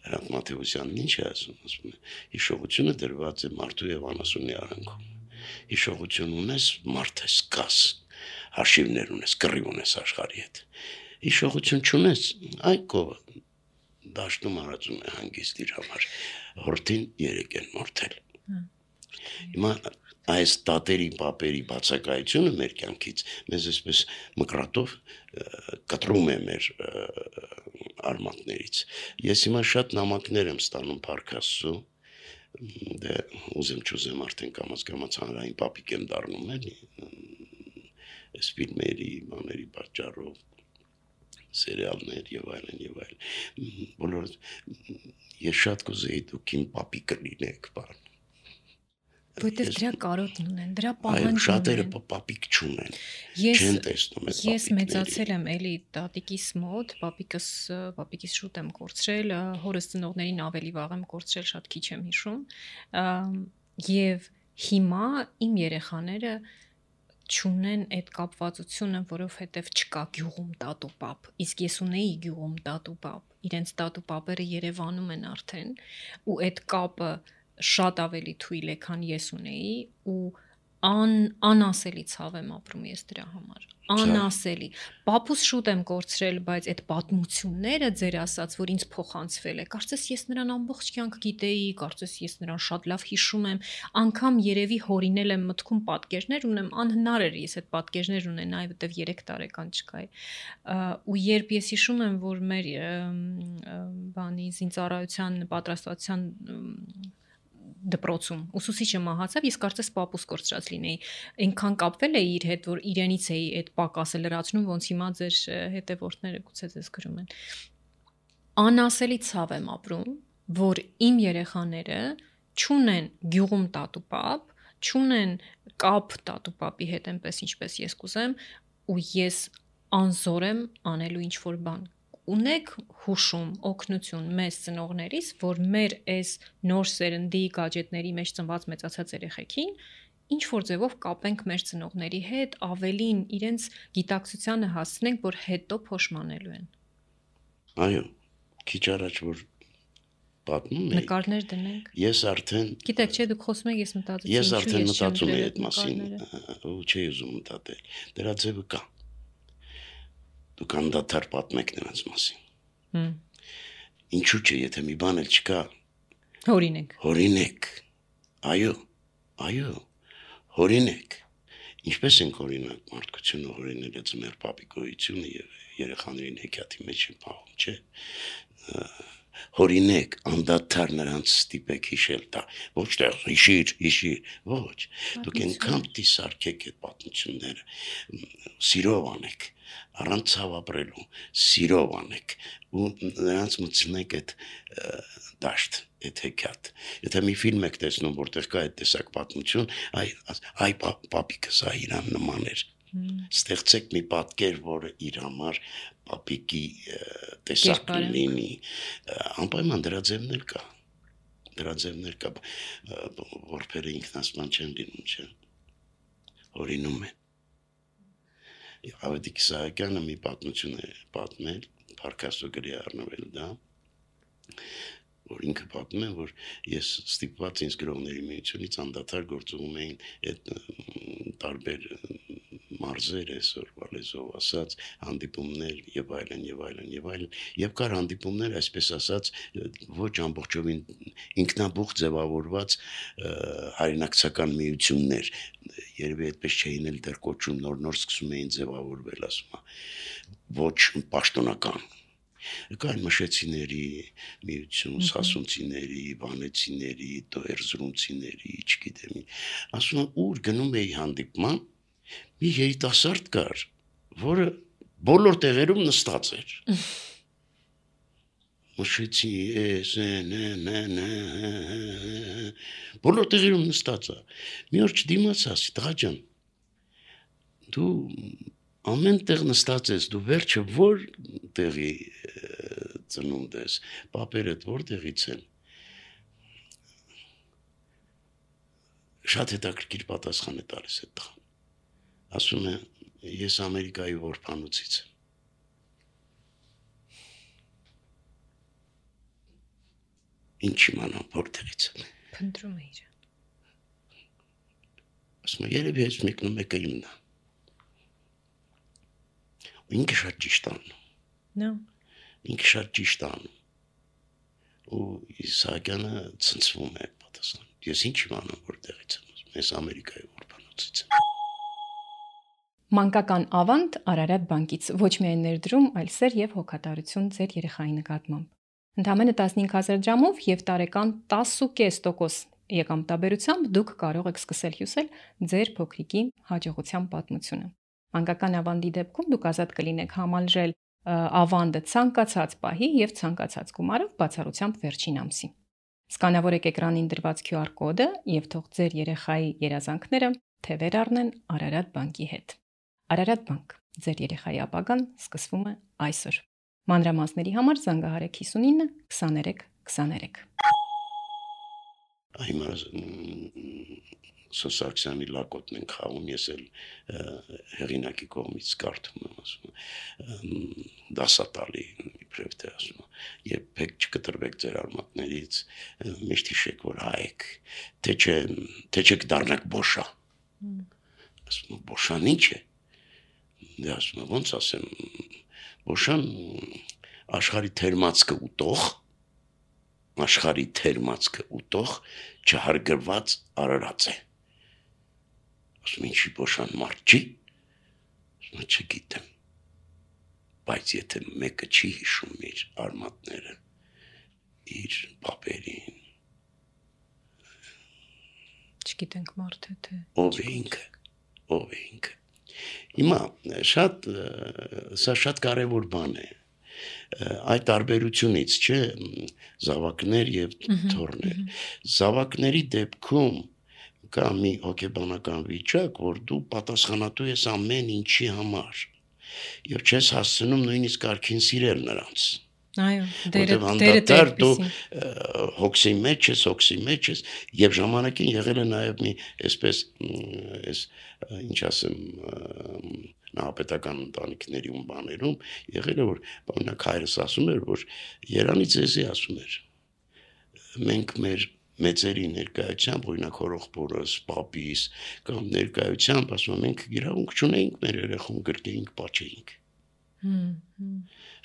Հրանտ Մաթեոսյանն ինչ է ասում է, հիշողությունը դրված է մարդու եւ անասունի արանքում։ Հիշողություն ունես, մարդ ես կաս, հաշիվներ ունես, կռիվ ունես աշխարհի հետ։ Հիշողություն չունես, այ կովը դաշտում արածում է հանգիստ իր համար, հորթին 3 են մորթել։ Հիմա այս տատերի, պապերի բացակայությունը մեր կյանքից մեզ այսպես մկրատով կտրում է մեր արմատներից։ Ես հիմա շատ նամակներ եմ ստանում Փառք Աստծո, դե ուզեմ չուզեմ արդեն կամաց հանրային պապիկ եմ դառնում էլի, այս ֆիլմերի, բաների պատճառով, սերիալներ եւ այլն, բոլոր ես շատ կուզեի դուք իմ պապիկը լինեք, բան։ Որտեվ դրա կարոտն ունեն, դրա պահանջն ունեն։ Շատերը պապիկ չունեն, չեն տեսնում այդ պապիկները։ Ես մեծացել եմ էլի տատիկիս մոտ, պապիկիս շուտ եմ կորցրել, հորս ծնողներին ավելի վաղ եմ կորցրել, շատ քիչ եմ հիշում, եւ հիմա իմ երեխաները չունեն այդ կապվածությունը, որովհետև չկա գյուղում տատու-պապ, իսկ ես ունեի գյուղում տատու-պապ, իրենց տատու-պապերը Երևանում են արդեն, ու այդ կապը շատ ավելի թույլ է, քան ես ունեի, ու անասելի ցավ եմ ապրում ես դրա համար, անասելի, պապուս շուտ եմ կորցրել, բայց այդ պատմությունները ձեր ասած, որ ինձ փոխանցվել է, կարծես ես նրան ամբողջ կյանք գիտեի, կարծես ես նրան շատ լավ հիշում եմ, անգամ երևի հորինել եմ մտքում պատկերներ ունեմ, անհնար էր ես այդ պատկերներ ունենայի, որտեվ 3 տարեկան չկայի, ու երբ ես հիշում եմ, որ մեր զինծառայության պատրաստվածության դպրոցում ուսուցիչը մահացավ, ես կարծես պապուս կորցրած լինեի, այնքան կապվել էի իր հետ, որ իրենից էի այդ պակասը լրացնում, ոնց հիմա ձեր հետևորդները գուցե ձեզ գրում են։ Անասելի ցավ եմ ապրում, որ իմ երեխաները չունեն գյուղում տատու-պապ, չունեն կապ տատու-պապի հետ այնպես ինչպես ես կուզեմ, ու ես անզոր եմ անելու ինչ-որ բան։ Ունեք հուշում, օգնություն մեզ ծնողներից, որ մեր այս նոր սերնդի գաջետների մեջ ծնված մեծացած երեխեքին ինչ-որ ձևով կապենք մեր ծնողների հետ, ավելին իրենց գիտակցությանը հասցնենք, որ հետո փոշմանելու են։ Այո, քիչ առաջ որ պատմում եք, նկարներ դնենք։ Ես արդեն Գիտեք, չէ, դուք խոսում եք, ես մտածեցի, ես արդեն մտածում եմ այդ մասին, ու չի ուզում մտածել։ Դրա ձևը կա։ Դուք անդադար պատմեք նրանց մասին։ Ինչու՞ չէ, եթե մի բան էլ չկա, հորինեք։ Այո, հորինեք։ Ինչպես ենք օրինակ մարդկությունը հորինել է ձմեռ պապիկոյությունը եւ երեխաներին հեքիաթի մեջ են պահում, չէ։ Հորինեք, անդադար նրանց ստիպեք հիշել դա, ոչ թե հիշիր, ոչ, դուք այնքան պիտի սարքեք այդ պատմությունները, սիրով անեք, առանց ցավ ապրելու, սիրով անեք, ու նրանց մտցնեք այդ դաշտ, այդ հեքիաթ, եթե մի ֆիլմ եք տեսնում, որտեղ կա այդ տեսակ պատմություն, այ պապիկս իրան նման էր, ստեղծեք մի պատկեր, որը իր համար պապիկի տեսակ լինի, անպայման դրա ձևներ կա, որբերը ինքնասման չեն լինում, չէ, հորինում են։ Ավետիք Իսահակյանը մի պատմություն է պատմել, Փառք Աստծո գրի առնվել դա, որ ինքը պատմում է, որ ես ստիպված ինձ գրողների միությունից անդադար գործում էին այդ տարբեր մարզեր այսօր լեզվով ասած հանդիպումներ եւ այլն եւ կար հանդիպումներ այսպես ասած ոչ ամբողջովին ինքնաբուխ ձևավորված հայրենակցական միություններ երևի այդպես չէին էլ դեռ կոչում նոր սկսում էին ձևավորվել ասում ոչ պաշտոնական կային մշեցիների միություն, սասունցիների, վանեցիների, էրզրումցիների, չգիտեմ, ասում ուր գնում էի հանդիպման, մի երիտասարդ կար, որը բոլոր տեղերում նստած էր։ Մշեցի, բոլոր տեղերում նստած է։ Մի օր չդիմացա, ասի, տղա ջան, դու ամեն տեղ նստած ես, դու վերջը որ տեղի ծնունդ ես, պապերդ որ տեղից են, շատ հետաքրքիր պատասխան է տալիս այդ տղան, ասում է, ես Ամերիկայի որբանոցից եմ, ինչ իմանամ որ տեղից եմ, Փնտրում է իր, ասում է, երևի ես մեկնում եկը իմն է, ինքը շատ ճիշտ անում, ինքը շատ ճիշտ անում, ու Իսահակյանը ցնցվում է պատասխան, ես ինչ իմանամ որ տեղից եմ, ես Ամերիկայի որբանոցից եմ։ Մանկական ավանդ Արարատ բանկից ոչ միայն ներդրում, այլ սեր եւ հոգատարություն ձեր երեխայի նկատմամբ։ Ընդամենը 15,000 դրամով եւ տարեկան 10.5% եկամտաբերությամբ դուք կարող եք սկսել հյուսել ձեր փոքրիկի հաջողության պատմությունը։ Մանկական ավանդի դեպքում դուք ազատ կլինեք համալրել ավանդը ցանկացած պահի եւ ցանկացած գումարով բացառությամբ վերջին ամսի։ Սկանավորեք էկրանին դրված QR կոդը եւ թող ձեր երեխայի երազանքները թևեր առնեն Արարատ բանկի հետ։ Արարատ բանկ, ձեր երեխայի ապագան սկսվում է այսօր։ Մանրամասների համար զանգահարեք 59 23 23։ Հիմա Սոսարքսյանի լակոտն են խաղում, ես էլ հեղինակի կողմից կարդում եմ, ասում դասատալի իբրև թե ասում երբեք չկտրվեք ձեր արմատներից, միշտ հիշեք, որ հայ եք, թե չեք դառնաք բոշա, ասում բոշան ինչ է, դե ասում ոնց ասեմ, բոշան աշխարհի թերմացքը ուտող չհարգված արարած է, ասում ինչի բոշան մարդ չի, ասում չգիտեմ, բայց եթե մեկը չի հիշում իր արմատները, իր պապերին, Չգիտենք մարդը թե ով է ինքը, հիմա սա շատ կարևոր բան է, այդ տարբերությունից չէ զավակներ եւ թոռներ, զավակների դեպքում կա մի հոգեբանական վիճակ, որ դու պատասխանատու ես ամեն ինչի համար եւ չես հասցնում նույնիսկ արքին սիրել նրանց։ Այո, դերը դու հոգսի մեջ ես եւ ժամանակին եղել է նաեւ մի այսպես ինչ ասեմ նահապետական ընտանիքների ու բաներում եղել է որ բանակ հայրս ասում էր որ Երանի ձեզի ասում էր մենք մեր մեծերի ներկայությամբ օրինակ հորողբորս, պապիս կամ ներկայությամբ ասում մենք իրավունք չունեինք մեր երեխուն գրկեինք, պաչեինք։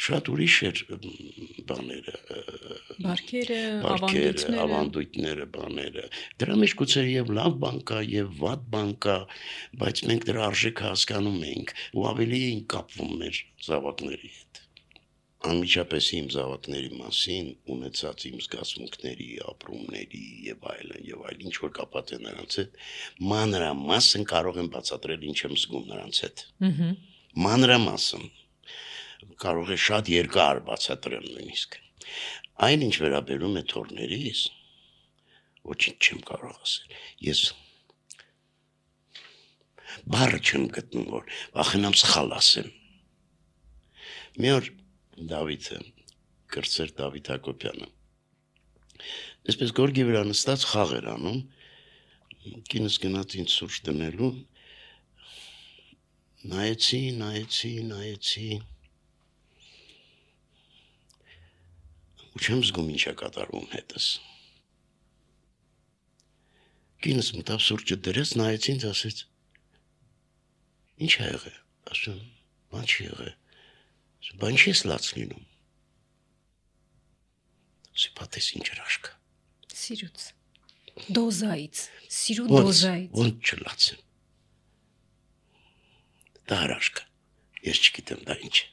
Շատ ուրիշ էր բաները, բարքերը, ավանդույթները, բաները։ Դրա մեջ գուցե եւ լավ բան կա եւ վատ բան կա, բայց մենք դրա արժեքը հասկանում ենք ու ավելի ենք կապվում մեր զավակների հետ։ Անմիջապես իմ զավակների մասին ունեցած իմ զգացմունքների, ապրումների եւ այլն, ինչ որ կապված է նրանց հետ, մանրամասն կարող եմ բացատրել ինչ եմ զգում նրանց հետ։ Մանրամասն կարող է շատ երկար բացատրել նույնիսկ։ Այն ինչ վերաբերում է թոռներիս, ոչինչ չեմ կարող ասել։ Ես բառը չեմ գտնում, որ վախենամ սխալ ասեմ։ Մի օր Դավիթը, կրտսեր Դավիթ Հակոբյանը, այսպես գորգի վրա նստած խաղ էր անում, կինս գնաց ինձ սուրճ դնելու, նայեցի, ու չեմ զգում ինչ է կատարվում հետս։ Կինս մտավ սուրճը դրեց, նայեց ինձ, ասեց. Ինչ է եղել։ Ասում, բան չի եղել։ Ասում, բան չի լաց լինում։ Սիպատես ինչ հրաշք։ Սիրուց։ Դոզայից, սիրու դոզայից։ Ոնց չլացեմ։ Դա հրաշք։ Ես չգիտեմ դա ինչ է։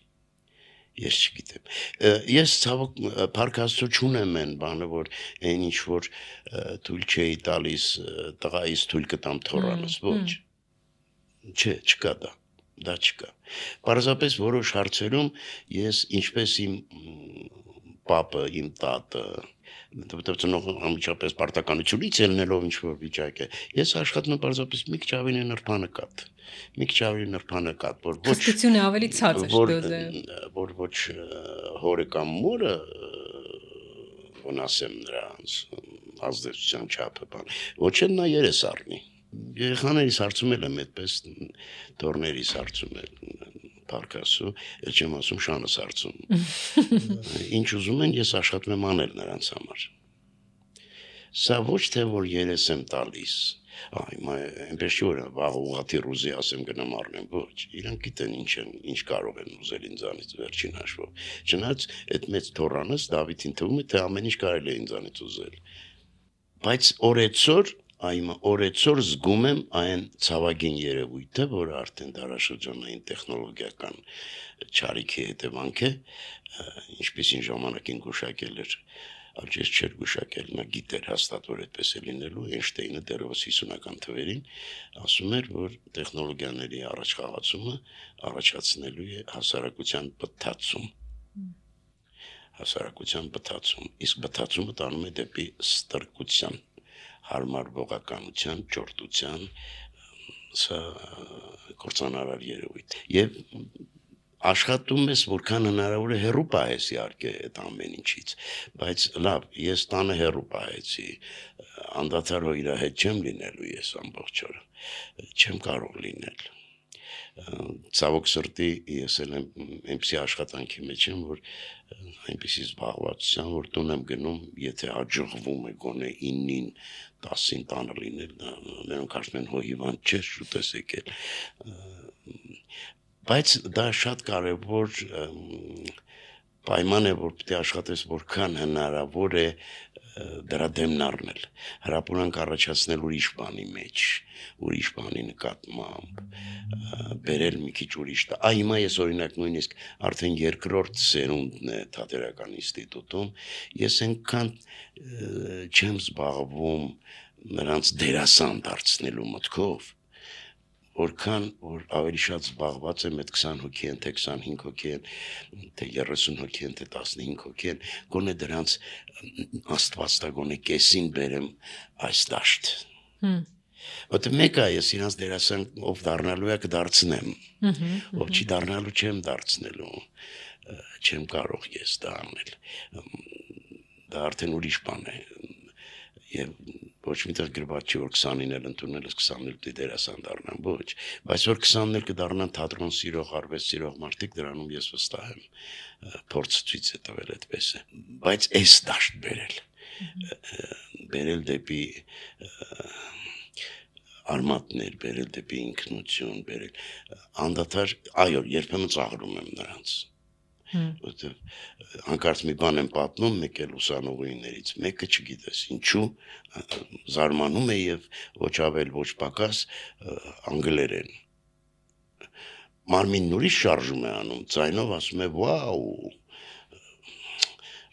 Ես չգիտեմ։ Ես ցավոք Փառք Աստծո չունեմ այն բանը, որ այն ինչ որ թույլ չէի տալիս տղայիս թույլ կտամ թորանս, ոչ։ Չէ, չկա դա։ Դա չկա։ Պարզապես որոշ հարցերում ես ինչպես իմ պապը, իմ տատը, որտեղ ծնող անմիջապես պարտականությունից ելնելով ինչ որ վիճակ է, ես աշխատում եմ պարզապես մի քիչ ավելի նրբանկատ, որ ոչ հստությունը ավելի ցածր դոզայում, որ ոչ հորը կամ մորը ոնասեմ նրանց ազդեցության չափը բան, ոչ էլ նա երես առնի։ Երեխաներիս հարցումել եմ այդպես, դորներիս հարցումել, Փառք Աստծո, էլ չեմ ասում շանս հարցում։ Ինչ ուզում են, ես աշխատում եմ անել նրանց համար։ Սա ոչ թե որ երես եմ տալիս, այնպես չի որ վաղ ուղղաթի ռուզի ասեմ գնամ առնեմ, ոչ, իրանք գիտեն ինչ կարող են ուզել ինձանից վերջին հաշվով։ Չնայած այդ մեծ թորանս Դավիթին թվում է, թե ամեն ինչ կարելի է ինձանից ուզել։ Բայց օրեցօր զգում եմ այն ցավագին երևույթը, որը արդեն դարաշրջանային տեխնոլոգիական չարիքի հետևանք է, ինչպեսին ժամանակին գուշակել էր, Ալջես չէր գուշակել, նա գիտեր հաստատ, որ այդպես է լինելու, Էյնշտեյնը դեռևս 50-ական թվերին ասում էր, որ տեխնոլոգիաների առաջխաղացումը առաջացնելու է հասարակության բթացում, իսկ բթացումը տանում է դեպի ստրկության, հարմար ողականության, ճորտության, սա կործանարար երևույթ։ Եվ աշխատում ես, որքան հնարավոր է հեռու պահես իհարկե այդ ամեն ինչից, բայց լավ, ես տանը հեռու պահեցի, անդադար իր հետ չեմ լինելու ես ամբողջ օրը, չեմ կարող լինել։ Ցավոք սրտի ես էլ այնպիսի աշխատանքի մեջ եմ, որ այնպիսի զբաղվածության, որ տուն եմ գնում, եթե հաջողվում է գոնե 9-ին, 10-ին տանը լինել, նրանք ասում են հիվանդ չես, շուտ ես եկել։ Բայց դա շատ կարևոր պայման է, որ պետք է աշխատես որքան հնարավոր է դրա դեմն առնել, հրապուրանք առաջացնել ուրիշ բանի մեջ, ուրիշ բանի նկատմամբ, բերել մի քիչ ուրիշ։ Հիմա ես օրինակ նույնիսկ արդեն երկրորդ սերունդն է Թատերական ինստիտուտում, ես այնքան չեմ զբաղվում նրանց դերասան դարձնելու մտքով, որքան որ ավելի շատ զբաղված եմ այդ 20 հոգի են, թե 25 հոգի են, թե 30 հոգի են, թե 15 հոգի են, գոնե դրանց Աստված տա գոնե կեսին բերեմ այս դաշտ։ Որտե մեկը ես իրանց դերասան ով դառնալու է կդարձնեմ, ով չի դառնալու չեմ դարձնելու, չեմ կարող ես դա անել։ Դա արդեն ուրիշ բան է։ Եվ ոչ միտեղ գրված չի, որ 20-ին էլ ընդունել ես 20-ին դերասան դառնան, ոչ, բայց որ 20-ին էլ կդառնան թատրոն սիրող, արվեստ սիրող մարդիկ, դրանում ես վստահ եմ, փորձ ցույց է տվել այդպես է, բայց այս դաշտ բերել դեպի արմատներ, բերել դեպի ինքնություն, բերել անդադար, այո, երբեմն ծաղրում եմ նրանց։ Որտեղ հանկարծ մի բան եմ պատմում, մեկ էլ ուսանողուհիներից, մեկը չգիտես ինչու զարմանում է եւ ոչ ավել ոչ պակաս անգլերեն։ Մարմինն ուրիշ շարժում է անում, ձայնով ասում է վաու։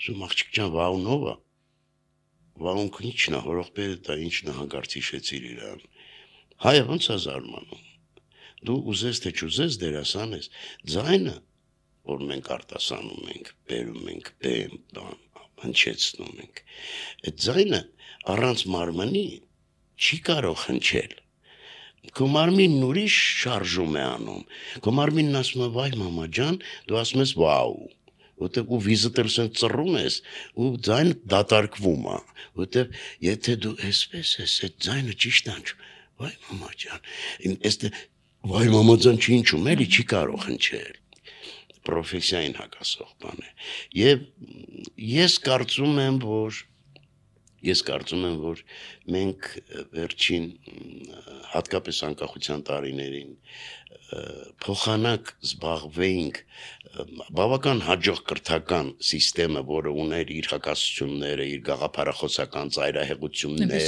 Ասում աղջիկ ջան, վաուն ով է։ Վաուն ինչն է, հորողբերը դա ինչն է հանկարծ հիշեցիր իրան։ Հայը ոնց է զարմանում։ Դու ուզես թե չուզես դերասան ես, ձայնը որ մենք արտասանում ենք, բերում ենք, հնչեցնում ենք։ Այդ ձայնը առանց մարմնի չի կարող հնչել։ Քո մարմինն ուրիշ շարժում է անում։ Քո մարմինն ասում է վայ մամա ջան, դու ասում ես վաու։ Որտեղ ու վիզիտել սեն ծռում ես, ու ձայնը դատարկվում է։ Որտեղ եթե դու այսպես ես, այդ ձայնը ճիշտ անջում, վայ մամա ջան, վայ մամա ջան չի ինչում, էլի չի կարող հնչել։ պրոֆեսիային հակասող բան է։ Եվ ես կարծում եմ, որ մենք վերջին հատկապես անկախության տարիներին փոխանակ զբաղվեինք բավական հաջող կրթական համակարգը, որը ուներ իր հակասությունները, իր գաղափարախոսական ծայրահեղությունները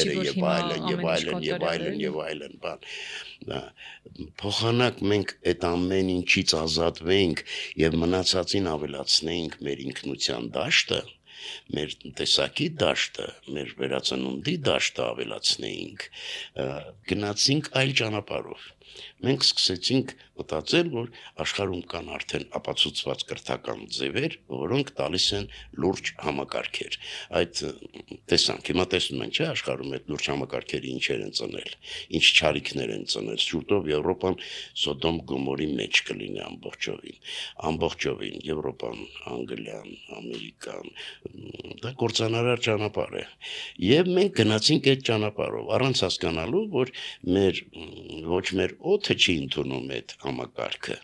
եւ այլն, փոխանակ մենք այդ ամեն ինչից ազատվեինք եւ մնացածին ավելացնեինք մեր ինքնության դաշտը, մեր տեսակի դաշտը, մեր վերածնունդի դաշտը ավելացնեինք, գնացինք այլ ճանապարհով։ Մենք սկսեցինք մտածել, որ աշխարհում կան արդեն ապացուցված կրթական ձևեր, որոնք տալիս են լուրջ համակարգեր։ Այդ տեսանք, հիմա տեսնում ենք, չէ՞, աշխարհում այդ լուրջ համակարգերը ինչեր են ծնել, ինչ չարիքներ են ծնել։ Շուտով Եվրոպան Սոդոմ Գոմորի մեջ կլինի ամբողջովին, Եվրոպան, Անգլիան, Ամերիկան, դա կործանարար ճանապարհ է։ Եվ մենք գնացինք այդ ճանապարհով, առանց հասկանալու, որ ոչ մեր օդը չի ընդունում այդ համակարգը,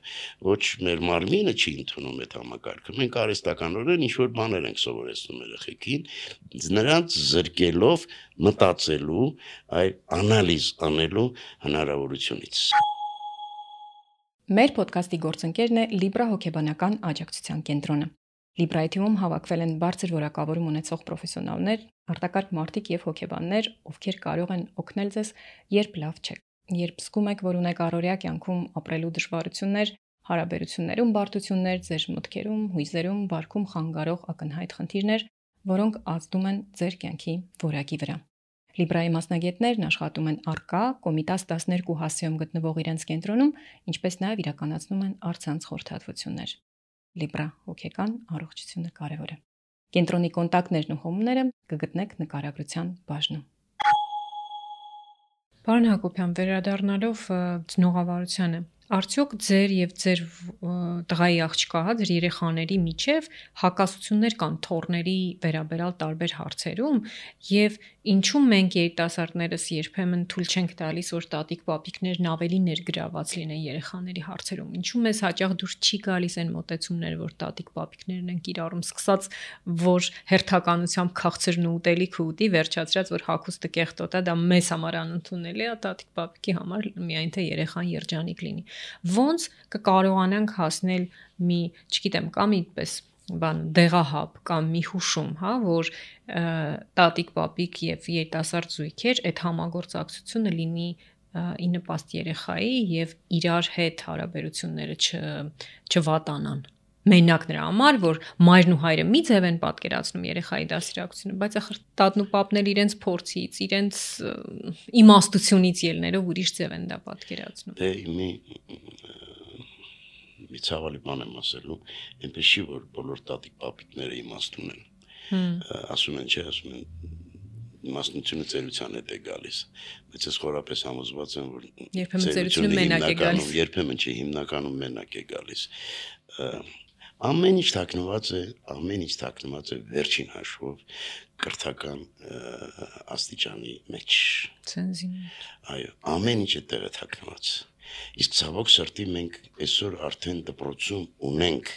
ոչ մեր մարմինը չի ընդունում այդ համակարգը։ Մենք արհեստականորեն ինչ-որ բաներ ենք սովորեցնում երեխեքին, նրանց զրկելով մտածելու, այլ անալիզ անելու հնարավորությունից։ Մեր ոդքասթի գործընկերն է Libra հոգեբանական աջակցության կենտրոնը։ Libra-ի թիմում հավաքվել են բարձր որակավորում ունեցող պրոֆեսիոնալներ, արտակարգ մարդիկ եւ հոգեբաններ, ովքեր կարող են օգնել ձեզ, երբ լավ չեք։ Երբ զգում եք, որ ունեք առօրյա կյանքում ապրելու դժվարություններ, հարաբերություններում բարդություններ, ձեր մտքերում, հույզերում, վարքում խանգարող ակնհայտ խնդիրներ, որոնք ազդում են ձեր կյանքի որակի վրա։ Libra-ի մասնագետներն աշխատում են առկա Կոմիտաս 12 հասցեում գտնվող իրենց կենտրոնում, ինչպես նաև իրականացնում են առցանց խորհրդատվություններ։ Libra հոգեկան առողջությունը կարևոր է։ Կենտրոնի կոնտակտներն ու հոմները կգտնեք նկարագրության բաժնում։ Պարոն Հակոբյան, վերադառնալով ծնողավարությանը, արդյոք ձեր եւ ձեր տղայի աղջկա, ձեր երեխաների միջև հակասություններ կան թոռների վերաբերալ տարբեր հարցերում եւ ինչու մենք երիտասարդներս երբեմն թույլ չենք տալիս, որ տատիկ-պապիկներն ավելի ներգրաված լինեն երեխաների հարցերում, ինչու մեզ հաճախ դուրս չի գալիս այն մոտեցումները, որ տատիկ-պապիկներն են կիրառում, սկսած որ հերթականությամբ քաղցրն ու ուտելիքը ուտի, վերջացրած որ հագուստը կեղտոտ է, դա մեզ համար անընդունելի է, տատիկ-պապիկի համար միայն թե երեխան երջանիկ լինի։ Ոնց կկարողանանք հասնել մի, չգիտեմ, կամ իպես դեղահապ կամ մի հուշում, որ տատիկ-պապիկ եւ երիտասարդ զույգեր այդ համագործակցությունը լինի ի նպաստ երեխայի եւ իրար հետ հարաբերությունները չվատանան։ Մենակ նրա համար, որ մայրն ու հայրը մի ձև են պատկերացնում երեխայի դաստիարակությունը, բայց ախր տատն ու պապն էլ իրենց փորձից, իրենց իմաստությունից ելներով ուրիշ ձև են դա պատկերացնում։ Մի ցավալի բան եմ ասելու, այնպես չի, որ բոլոր տատիկ-պապիկները իմաստուն են։ Ասում են, չէ, ասում են իմաստնությունը ծերության հետ է գալիս, բայց ես խորապես համոզված եմ, որ երբեմն մենակ է գալիս, երբեմն չի, հիմնականում մենակ է գալիս։ Ամեն ինչ թաքնված է վերջին հաշվով կրթական աստիճանի մեջ։ Այո, ամեն ինչ է տեղը թաքնված։ Իսկ ցավոք սրտի մենք այսօր արդեն դպրոցում ունենք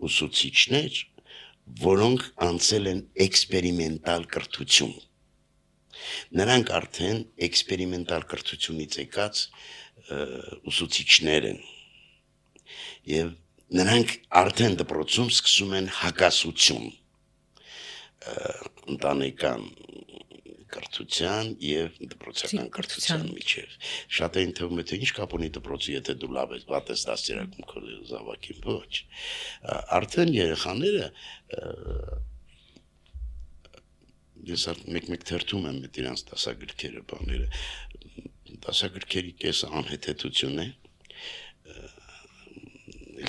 ուսուցիչներ, որոնք անցել են էքսպերիմենտալ կրթություն։ Նրանք արդեն էքսպերիմենտալ կրթությունից եկած ուսուցիչներ են։ Եվ նրանք արդեն դպրոցում սկսում են հակասություն ընտանեկան կրթության եւ դպրոցական կրթության միջև։ Շատերին թվում է, թե ինչ կապ ունի դպրոցի, եթե դու լավ ես, վատ ես դաստիարակում քո զավակին, ոչ։ Արդեն երեխաները ես մեկ թերթում եմ այդ իրանց դասագրքերը, բաները։ Դասագրքերի կեսը անհեթեթություն է։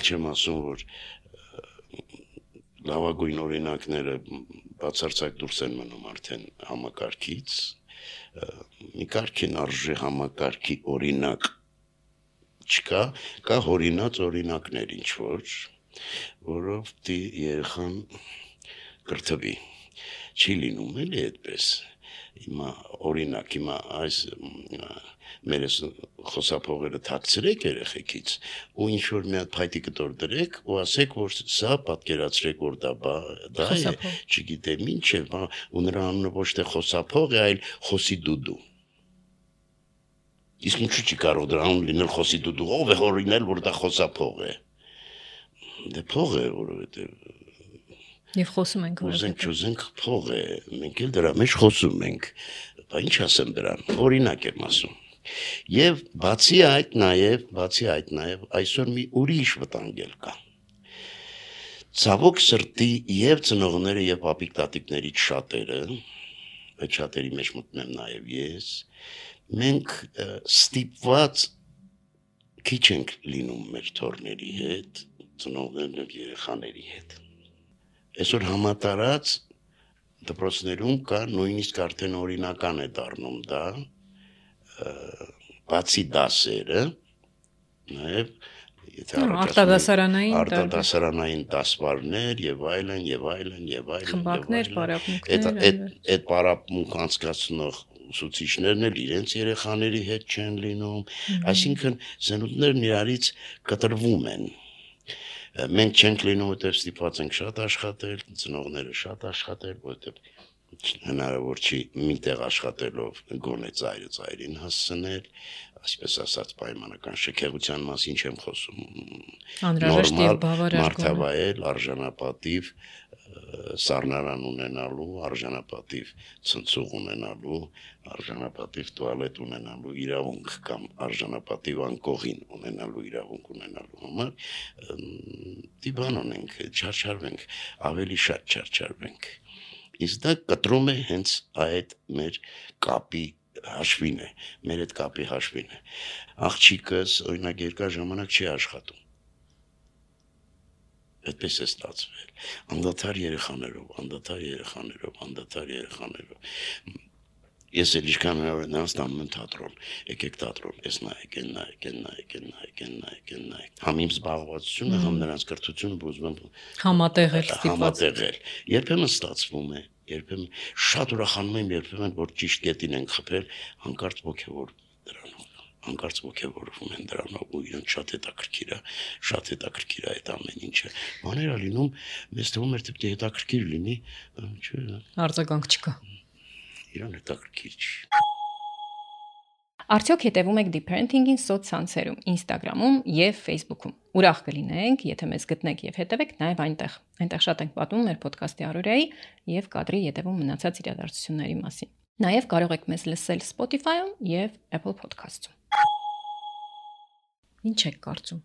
Չեմ ասում, որ լավագույն օրինակները բացարձակ դուրս են մնում արդեն համակարգից, մի կարգին արժե համակարգի օրինակ չկա, կա հորինած օրինակներ ինչ-որ, որով երեխան կրթվի, չի լինում էլի այդպես, հիմա օրինակ, հիմա այս մերս խոսափողերը թաքցրեք երեխեքից ու ինչ որ մի հատ փայտի կտոր դրեք ու ասեք որ սա պատկերացրեք որ դա է, չգիտեմ ինչ է, ու նրա անունը ոչ թե խոսափող է, այլ խոսի դուդու։ Իսկ ինչու՞ չի կարող դրա անուն լինել խոսի դուդու, ով է հորինել որ դա խոսափող է։ Դե փող է, որովհետև Եվ խոսում ենք ուզենք փող է, մենք էլ դրա մեջ խոսում ենք, բա ինչ ասեմ դրան, օրինակ եմ ասում։ Եվ բացի այդ նաև այսօր մի ուրիշ վտանգ էլ կա։ Ցավոք սրտի եւ ծնողները եւ պապիկ տատիկներից շատերը, այդ շատերի մեջ մտնում նաև ես, մենք ստիպված քիչ ենք լինում մեր թորների հետ, ծնողներն ու երեխաների հետ։ Այսօր համատարած դպրոցներում կա նույնիսկ արդեն օրինական է դառնում դա, բացի դասերը, նաև արտադասարանային դասվարներ եւ այլն, խմբակներ, պարապմունքներ, այդ պարապմունք անցկացնող ուսուցիչներն էլ իրենց երեխաների հետ չեն լինում, այսինքն սնունդներն իրարից կտրվում են։ Մենք չենք լինում, որտեղ ստիպված ենք շատ աշխատել, ծնողները շատ աշխատել, որտեղ հնարավոր չի միտեղ աշխատելով գոնե ծայրին հասցնել, այսպես ասած պայմանական շքեղության մասին չեմ խոսում։ Անհրաժեշտ եւ բավարար մարդավայել, արժանապատիվ սառնարան ունենալու, արժանապատիվ ցնցուղ ունենալու, արժանապատիվ տուալետ ունենալու իրավունք կամ արժանապատիվ անկողին ունենալու իրավունք ունենալու համար դիբան ունենք, չարչարվենք, ավելի շատ չարչարվենք։ Իսկ դա կտրում է հենց այդ մեր կապի հաշվին է, մեր այդ կապի հաշվին է։ Աղջիկս օրինակ երկար ժամանակ չի աշխատում։ Այդպես է ստացվել, անդադար երեխաներով, ես էլ ինչքան հնարավոր է նրանց տանում եմ թատրոն, եկեք թատրոն, ես նայեք, համ իմ զբաղվածությունը, համ նրանց կրթությունը ուզում եմ համատեղել, երբեմն ստացվում է, երբեմն շատ ուրախանում եմ, երբեմն որ ճիշտ կետին են խփել, հանկարծ ոգևորվում են դրանով ու իրեն շատ հետաքրքիր է այդ ամեն ինչը։ Բաներ ա լինում, մեզ թվում էր թե հետաքրքիր լինի, չէ։ Արձագանք չկա։ Իրան հետաքրքիր չի։ Արդյոք հետևում եք Deep Parenting-ին սոցցանցերում, Instagram-ում եւ Facebook-ում։ Ուրախ կլինենք, եթե մեզ գտնեք եւ հետևեք նաեւ այնտեղ։ Այնտեղ շատ ենք պատմում մեր ոդքասթի առօրյայի եւ կադրի ետևում մնացած իրադարձությունների մասին։ Նաեւ կարող եք մեզ լսել Spotify-ում եւ Apple Podcast-ում։ Ինչ եք կարծում։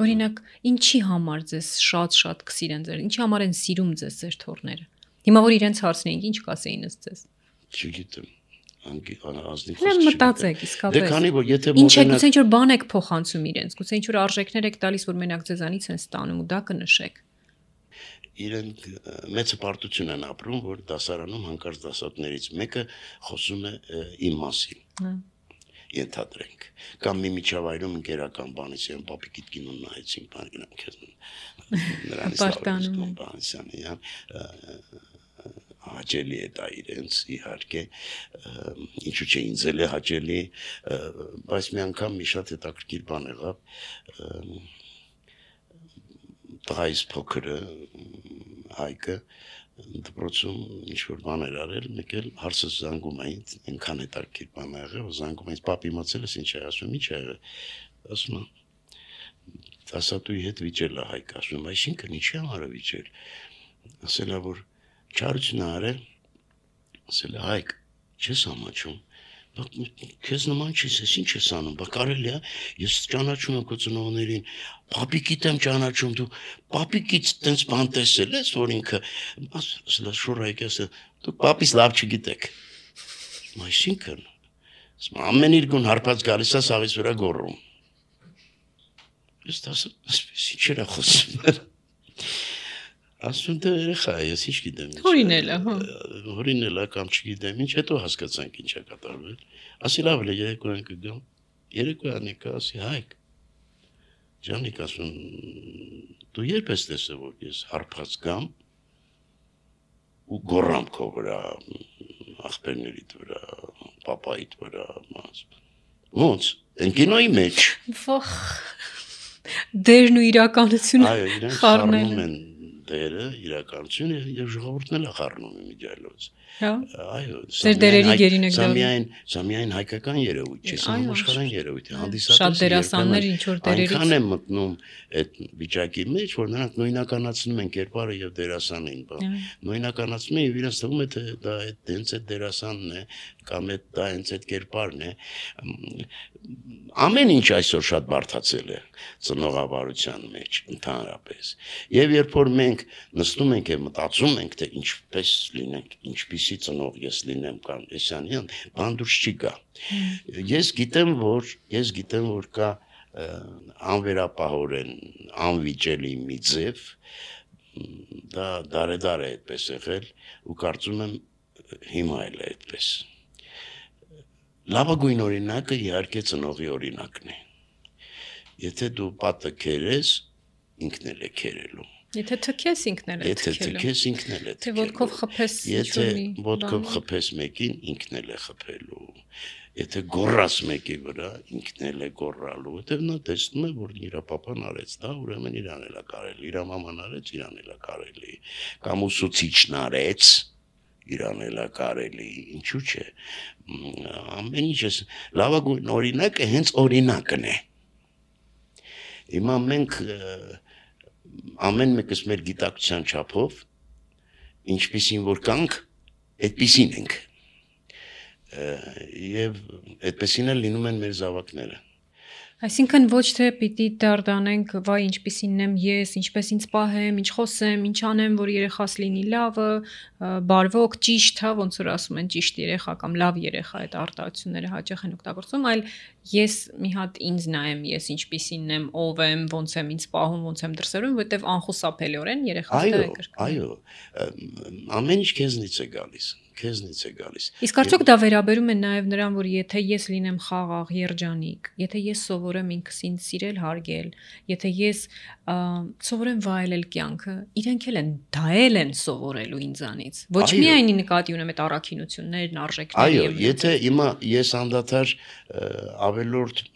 Օրինակ, ինչի համար ձեզ շատ կսիրեն ձեր, ինչի համար են սիրում ձեզ ձեր թորները։ Հիմա որ իրենց հարցնեինք, ինչ կասեին ըստ ձեզ։ Չգիտեմ, ազնիվ խոսք չի։ Մտածեք, իսկապես։ Դե քանի որ եթե ինչ է, գուցե ինչ որ բան եք փոխանցում իրենց, գուցե ինչ որ արժեքներ եք տալիս, որ մենակ ձեզանից են ստանում ու դա կնշեք։ Իրենք մեծ հպարտություն են ապրում, որ դասարանում հանկարծ դասատներից մեկը խոսում է իմ մասին։ Ենթադրենք կամ մի միջավայրում ընկերական բանից են պապիկիդ կինոն նայեցին բան գնամ քեզ նրանից լավ բանիսյանի հաճելի է դա իրենց իհարկե ինչու՞ չէ ինձ էլ է հաճելի բայց մի անգամ մի շատ հետաքրքիր բան եղավ տղայիս փոքրը Հայկը դպրոցում ինչ-որ բան էր արել, մեկ էլ հարցս զանգում էին, այնքան հետաքրքիր բան ա եղել, զանգում էին, պապի իմացել ես ինչ է, ասում ինչ է եղել, ասում դասատուի հետ վիճել ա Հայկը, ասում այսինքն ինչի համար է վիճել, ասել ա որ չարություն ա արել, ասել ա Հայկ, չես ամաչում, քեզ նման չես, ես ինչ ես անում, բա կարելի է, ես ճանաչում եմ քո ծնողներին, պապիկիդ եմ ճանաչում, դու պապիկից տենց բան տեսել ես, որ ինքը, ասել շուր Հայկը, դու պապիս լավ չգիտեք, այսինքն, ամեն իր գուն հարբած գալիս է սաղից վրա գոռում, ես ասում, ինչ էր խոսում, ասում դե երեխա է, ես ինչ գիտեմ հորինել է կամ չգիտեմ ինչ, հետո հասկացանք ինչ է կատարվել, ասի լավ է երեկոյան կգամ, երեկոյան եկա, ասի Հայկ, Ջանիկ ասում, դու երբ ես տեսել, որ ես հարբած գամ ու գոռամ քո վրա, աղբերներիդ վրա, պապայիդ վրա, Ոնց, այն կինոյի մեջ։ Վախ։ Դերն ու իրականությունը Այո, իրենք խառնում են դերը, իրականությունը եւ ժողովուրդն էլ խառնում է միջայլոց։ Հա։ Այո, Ձեր դերերի գերին եք սա միայն հայկական երևույթ չէ, սա համաշխարհային երևույթ է, հանդիսատեսը շատ դերասաններ ինչ որ դերերից այնքան են մտնում այդ վիճակի մեջ, որ նրանք նույնականացնում են կերպարը եւ դերասանին, նույնականացնում են եւ իրենց թվում է թե դա հենց այդ դերասանն է կամ դա հենց այդ կերպարն է։ Ամեն ինչ այսօր շատ բարդացել է ծնողավարության մեջ ընդհանրապես։ Եվ երբ որ մենք նստում ենք եւ մտածում ենք, թե ինչպես լինենք, ինչպիսի ծնող ես լինեմ կամ էսանյան, բան դուրս չի գա։ Ես գիտեմ, որ կա անվերապահորեն անվիճելի մի ձև, դա դարեդար է այդպես եղել ու կարծում եմ հիմա էլ է այդպես։ Լավագույն օրինակը իհարկե ծնողի օրինակն է։ Եթե դու պատը քերես, ինքն էլ է քերելու։ Եթե թքես ինքն էլ է թքելու։ Եթե թքես ինքն էլ է թքելու։ Թե ոտքով խփես, եթե ոտքով խփես մեկին, ինքն էլ է խփելու։ Եթե գոռաս մեկի վրա, ինքն էլ է գոռալու։ Որտեվ նա տեսնում է, որ իր papan արեց դա, ուրեմն իրան էլ է կարելի, իր մաման արեց, իրան էլ է կարելի։ Կամ ուսուցիչն արեց, իրան էլ է կարելի, ինչու՞ չէ։ Ամեն ինչը լավագույն օրինակը հենց օրինակն է։ Հիմա մենք ամեն մեկս մեր գիտակցության չափով ինչպիսին որ կանք, այդպիսին ենք։ Եվ այդպեսին էլ լինում են մեր զավակները։ Այսինքն ոչ թե պիտի դարդանենք, վայ ինչպիսին եմ ես, ինչպես ինձ պահեմ, ինչ խոսեմ, ինչ անեմ, որ երեխաս լինի լավը, բարվոք, ճիշտ, հա, ոնց որ ասում են ճիշտ երեխա կամ լավ երեխա, այդ արտահայտությունները հաճախ են օգտագործում, այլ ես մի հատ ինձ նայեմ, ես ինչպիսին եմ, ով եմ, ոնց եմ ինձ պահում, ոնց եմ դրսևորում, որտեվ անխուսափելիորեն երեխաս դա է կրկնում։ Այո, ամեն ինչ քեզնից է գալիս։ Իսկ արդյոք դա վերաբերում է նաև նրան, որ եթե ես լինեմ խաղաղ, երջանիկ, եթե ես սովորեմ ինքս ինձ սիրել, հարգել, եթե ես սովորեմ վայելել կյանքը, իրենք էլ են դա են սովորելու ինձանից։ Ոչ միայն նկատի ունեմ այդ առաքինություններն, արժեքները։ Այո, եթե հիմա ես անդադար ավելորդ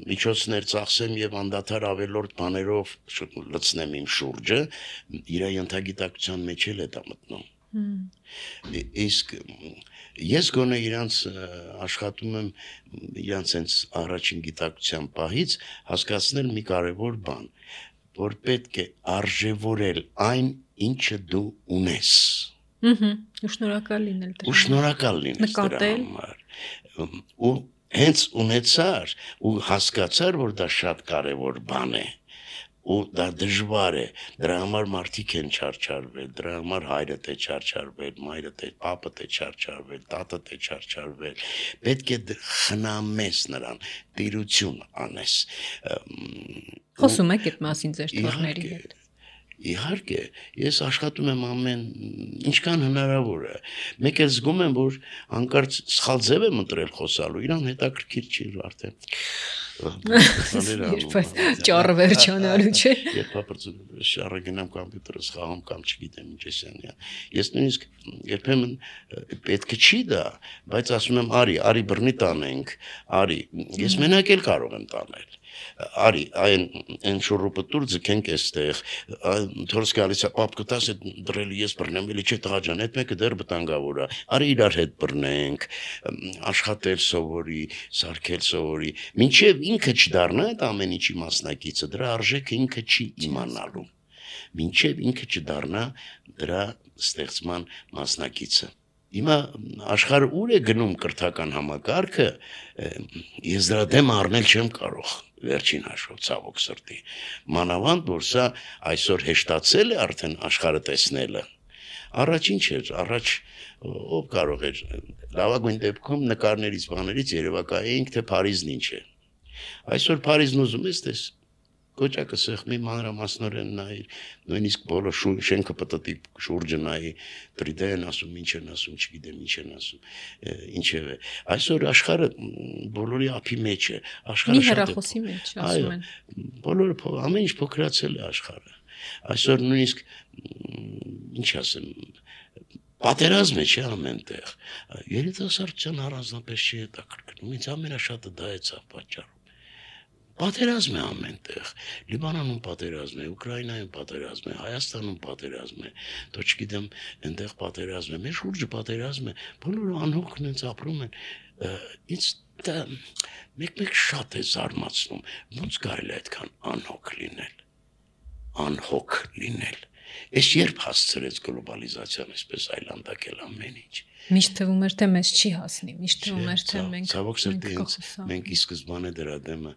միջոցներ ծախսեմ եւ անդադար ավելորդ բաներով լցնեմ իմ շուրջը, իր ենթագիտակցության մեջ էլ է դա մտնում։ Իսկ ես գոնե իրանց աշխատում եմ իրանց հենց առաջին գիտակցության պահից հասկացնել մի կարևոր բան, որ պետք է արժևորել այն, ինչը դու ունես։ Ու շնորհակալ լինել դրա համար։ Ու շնորհակալ լինել դրա համար։ Ու հենց ունեցար ու հասկացար, որ դա շատ կարևոր բան է։ Ու դա դժվար է, դրա համար մարդիկ են չարչարվել, դրա համար հայրդ է չարչարվել, մայրդ է, պապդ է չարչարվել, տատդ է չարչարվել, պետք է խնամես նրան, տիրություն անես։ Խոսում եք այդ մասին ձեր թորների հետ։ Իհարկե, ես աշխատում եմ ամեն ինչքան հնարավոր է։ Մեկ էլ զգում եմ, որ հանկարծ սխալ ձև եմ ընտրել խոսալու, իրան հետաքրքիր չի արդեն։ Ճառը վերջանալու չէ։ Երբ շարը գնամ կոմպյուտերս խաղամ կամ չգիտեմ ինչ էսան։ Ես նույնիսկ երբեմն պետք չի դա, բայց ասում եմ արի բռնի տանենք, արի։ Ես մենակ էլ կարող եմ տանել։ Արի, այն շուրուպտուր ձգենք էստեղ, թորս գալիս է, պապ կտաս է դրելի ես բռնեմ, էլի չէ տղա ջան, այդ մեկը դեռ վտանգավոր է, արի իրար հետ բռնենք, աշխատել սովորի, սարքել սովորի, մինչև ինքը չդառնա այդ ամեն ինչի մասնակիցը, դրա արժեքը ինքը չի իմանալու, մինչև ինքը չդառնա դրա ստեղծման մասնակիցը։ Հիմա աշխարհը ուր է գնում կրթական համակարգը, ես դրա դեմ առնել չեմ կարող, վերջին հաշվով ցավոք սրտի։ Մանավանդ որ սա այսօր հեշտացել է արդեն աշխարհը տեսնելը։ Առաջին չէր, առաջ ով կարող էր լավագույն դեպքում նկարներից բաներից երևակայեինք թե Փարիզն ինչ է։ Այսօր Փարիզն ուզում ես տես Կոճակը սեղմի մանրամասնորեն նայի, նույնիսկ բոլոր շենքը պտտի շուրջը նայի, դրիդե են ասում, ինչ են ասում, չգիտեմ ինչ են ասում, ինչև է։ Այսօր աշխարհը բոլորի ափի մեջ է, աշխարհը շատ է։ Մի հեռախոսի մեջ ասում են։ Բոլորը ամեն ինչ փոքրացել է աշխարհը։ Այսօր նույնիսկ ինչ ասեմ, Պատերազմ է չէ ամենտեղ։ Երիտասարդության առանձնապես չի հետաքրքրում։ Ինձ ամենաշատը դա է ցավ պատճառում։ Պատերազմ է ամենտեղ։ Լիբանանում պատերազմ է, Ուկրաինայում պատերազմ է, Հայաստանում պատերազմ է, դու չգիտեմ, այնտեղ պատերազմ է, մեր շուրջը պատերազմ է, բոլորը անհոգ նենց ապրում են։ Ինձ դա մեկ շատ է զարմացնում, ոնց կարելի է այդքան անհոգ լինել։ Անհոգ լինել։ Ես երբ հասցրեց գլոբալիզացիան այսպես այլանդակել ամեն ինչ։ Միշտ թվում էր թե մեզ չի հասնի, միշտ թվում էր թե մենք ցավոք սրտի մենք ի սկզբանե դրա դեմը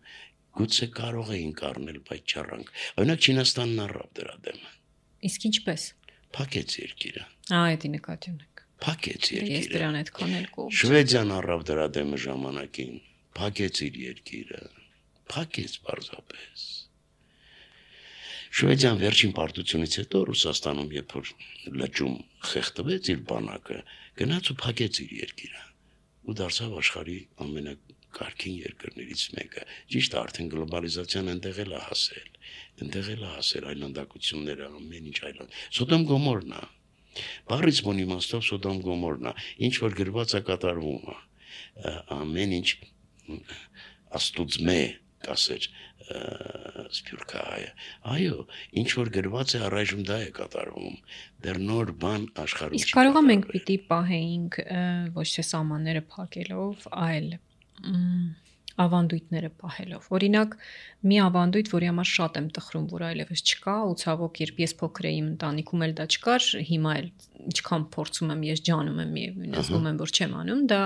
գուցե կարող էինք առնել, բայց չառանք։ Օրինակ Չինաստանն առավ դրա դեմը։ Իսկ ինչպես։ Փակեց երկիրը։ Այդ նկատի ունեք։ Փակեց երկիրը։ Ես դրան այդքան էլ կողմ։ Շվեդիան առավ դրա դեմը ժամանակին, փակեց իր երկիրը։ Փակեց պարզապես։ Շվեդիան վերջին պարտությունից հետո Ռուսաստանում երբ որ լճում խեղդվեց իր բանակը, գնաց ու փակեց իր երկիրը ու դարձավ աշխարհի ամենակարգին երկրներից մեկը։ Ճիշտ է, արդեն գլոբալիզացիան այնտեղ էլ է հասել այլանդակությունները, ամեն ինչ այլանդ։ Սոդոմ Գոմորն է։ Բառից բուն իմաստով Սոդոմ Գոմորն է, ինչ որ գրված է կատարվում է։ Ամեն ինչ աստուծմե կասեր Սփյուռքահայը։ Այո, ինչ որ գրված է առայժմ դա է կատարվում։ Դեռ նոր բան աշխարհում չի։ Իսկ կարողա մենք պիտի պահեինք ոչ թե սահմանները փակելով, այլ ավանդույթները պահելով։ Օրինակ, մի ավանդույթ, որի համար շատ եմ տխրում, որ այլևս չկա, ու ցավոք, երբ ես փոքր էի ընտանիքում էլ դա չկար, հիմա էլ ինչքան փորձում եմ, ես ջանում եմ միևնույն, զգում եմ, որ չեմ անում, դա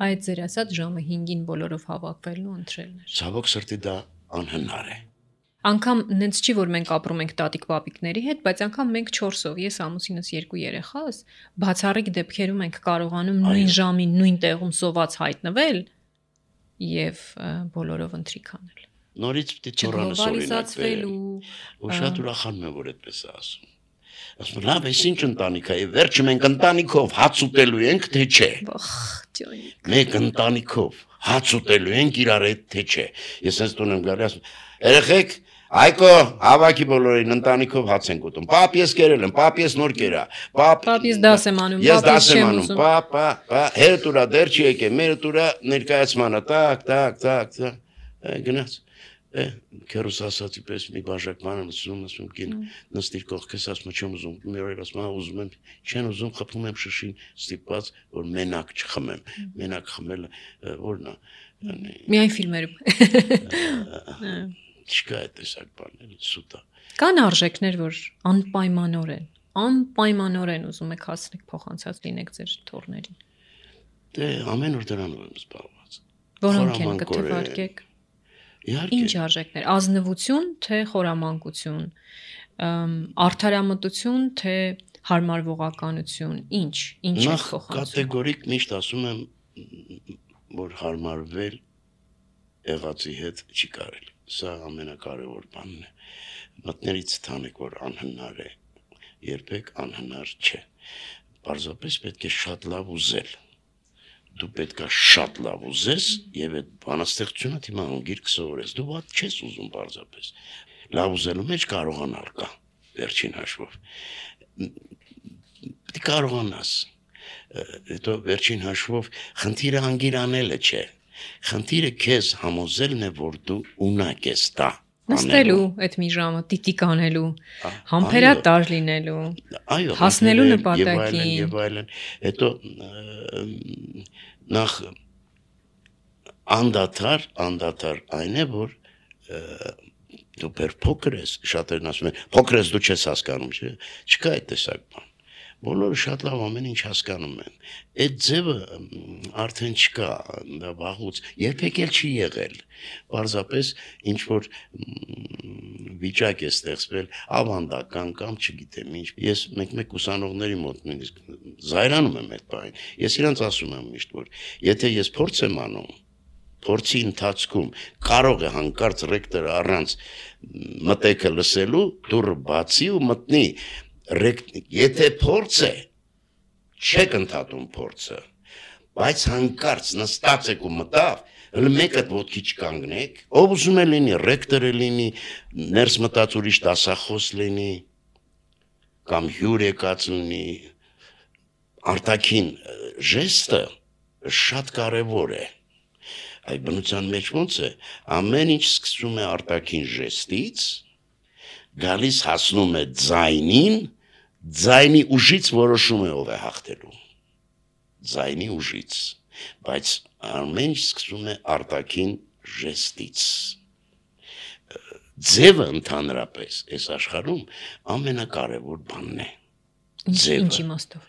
այդ ձեր ասած ժամը 5-ին բոլորով հավաքվելն ու ընտրելն էր։ Ցավոք սրտի դա անհնար է։ Անկամ նենց չի, որ մենք ապրում ենք տատիկ-պապիկների հետ, բայց անգամ մենք 4-ով, ես ամուսինս 2 երեխաս, բացառիկ դեպքերում ենք կարողանում նույն ժամին, նույն տեղում սոված հայտնվել եւ բոլորով ընթրիք անել։ Նորից պիտի թորանը սորինակ ու շատ ուրախանում եմ, որ այդպես է ասում։ Ասում եմ, լավ, այս ինչ ընտանիք է, վերջը մենք ընտանիքով հաց ուտելու ենք, թե չէ։ Մենք ընտանիքով հաց ուտելու ենք իրար հետ, թե չէ։ Ես այս տուն եմ գալի, ասում, երեխեք, Այկո, հավաքի բոլորին ընտանիքով հաց ենք ուտում։ Պապ ես կերել եմ, պապ ես նոր կերա։ Պապ ես դաս եմ անում, ես դաս եմ անում։ Պապ, հետ ուրա դեռ չի եկել, մեր ուրա ներկայացմանը, տակ, գնաց։ Քերուս ասացի պես մի բաժակ բան ասում կին նստիր կողքես ասում չեմ ուզում, մեր օրեր ասում ուզում եմ, չեն ուզում խփում եմ շշին ստիպված, որ մենակ չխմեմ։ Մենակ խմելը որն է։ Միայն ֆիլմերում։ Չկա այդ տեսակ բաներ, սուտ է։ Կան արժեքներ, որ անպայմանորեն ուզում եք հասնեք փոխանցած լինեք ձեր թորներին։ Դե ամեն օր դրանով եմ զբաղված։ Որոնք են կթվարկեք։ Ինչ արժեքներ, ազնվություն, թե խորամանկություն, արդարամտություն, թե հարմարվողականություն, ինչ եք փոխանցում։ Կատեգորիկ միշտ ասում եմ, որ հարմարվել եղածի հետ չի կարելի։ Սա ամենակարևոր բանն է։ Մտներից թանեք, որ անհնար է, երբեք անհնար չէ։ Պարզապես պետք է շատ լավ ուզել։ Դու պետք է շատ լավ ուզես եւ այդ բանաստեղծությունը թիմա անգիր կսովորես։ Դու ված չես ուզում պարզապես։ Լավ ուզելու մեջ կարողանալ կա, վերջին հաշվով։ Դու կարողանաս։ Հետո վերջին հաշվով խնդիրը անգիր անելը չէ։ Խնդիրը քեզ համոզելն է, որ դու ունակ ես դա։ Նստելու այդ մի ժամը տիտիկ անելու, համբերատար լինելու, հասնելու նպատակին եւ այլն։ Հետո նախ անդադար այն է, որ դու փոքր ես, շատերն ասում են, փոքր ես դու չես հասկանում, չէ՞։ Չկա այդ տեսակ բան։ Բոլորը շատ լավ ամեն ինչ հասկանում են։ Այդ ձևը արդեն չկա, դա վաղուց, երբեք էլ չի եղել։ Պարզապես ինչ որ վիճակ է ստեղծվել, ավանդական կամ չգիտեմ ինչ։ Ես մեկ ուսանողների մոտ նույնիսկ զայրանում եմ այդ բանին։ Ես իրանց ասում եմ միշտ, որ եթե ես փորձ եմ անում, փորձի ընթացքում կարող է հանկարծ ռեկտորը առանց մտեքը լսելու դուռը բացի ու մտնի եթե փորձ է, չեք ընդհատում փորձը, բայց հանկարծ նստած եք ու մտավ, հələ մեկը ոտքի չկանգնեք, ով ուզում է լինի, ռեկտորը լինի, ներս մտած ուրիշ դասախոս լինի, կամ հյուր եկած լինի, արտաքին ժեստը շատ կարևոր է։ Այդ բնության մեջ ոնց է, ամեն ինչ սկսում է արտաքին ժեստից, գալիս հասնում է ձայնին, ձայնի ուժից որոշում է ով է հաղթելու։ Ձայնի ուժից, բայց ամեն ինչ սկսում է արտաքին ժեստից։ Ձևը ընդհանրապես այս աշխարհում ամենակարևոր բանն է։ Ինչ իմաստով։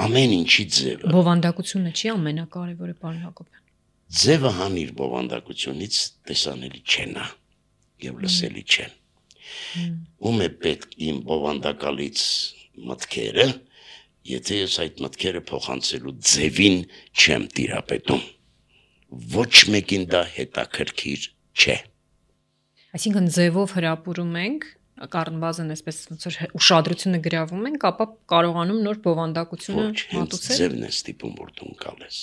Ամեն ինչի ձևը։ Բովանդակությունը չի ամենակարևորը, պարոն Հակոբյան։ Ձևը հանիր բովանդակությունից տեսանելի չեն եւ լսելի չեն։ Ում է պետք իմ բովանդակալից մտքերը, եթե ես այդ մտքերը փոխանցելու ձևին չեմ տիրապետում։ Ոչ մեկին դա հետաքրքիր չէ։ Այսինքն ձևով հրապուրում ենք, կառնվազն այսպես ոնց որ ուշադրությունը գրավում ենք, ապա կարողանում նոր բովանդակությունը մատուցել։ Ձևն է ստիպում, որ դու ընկալես։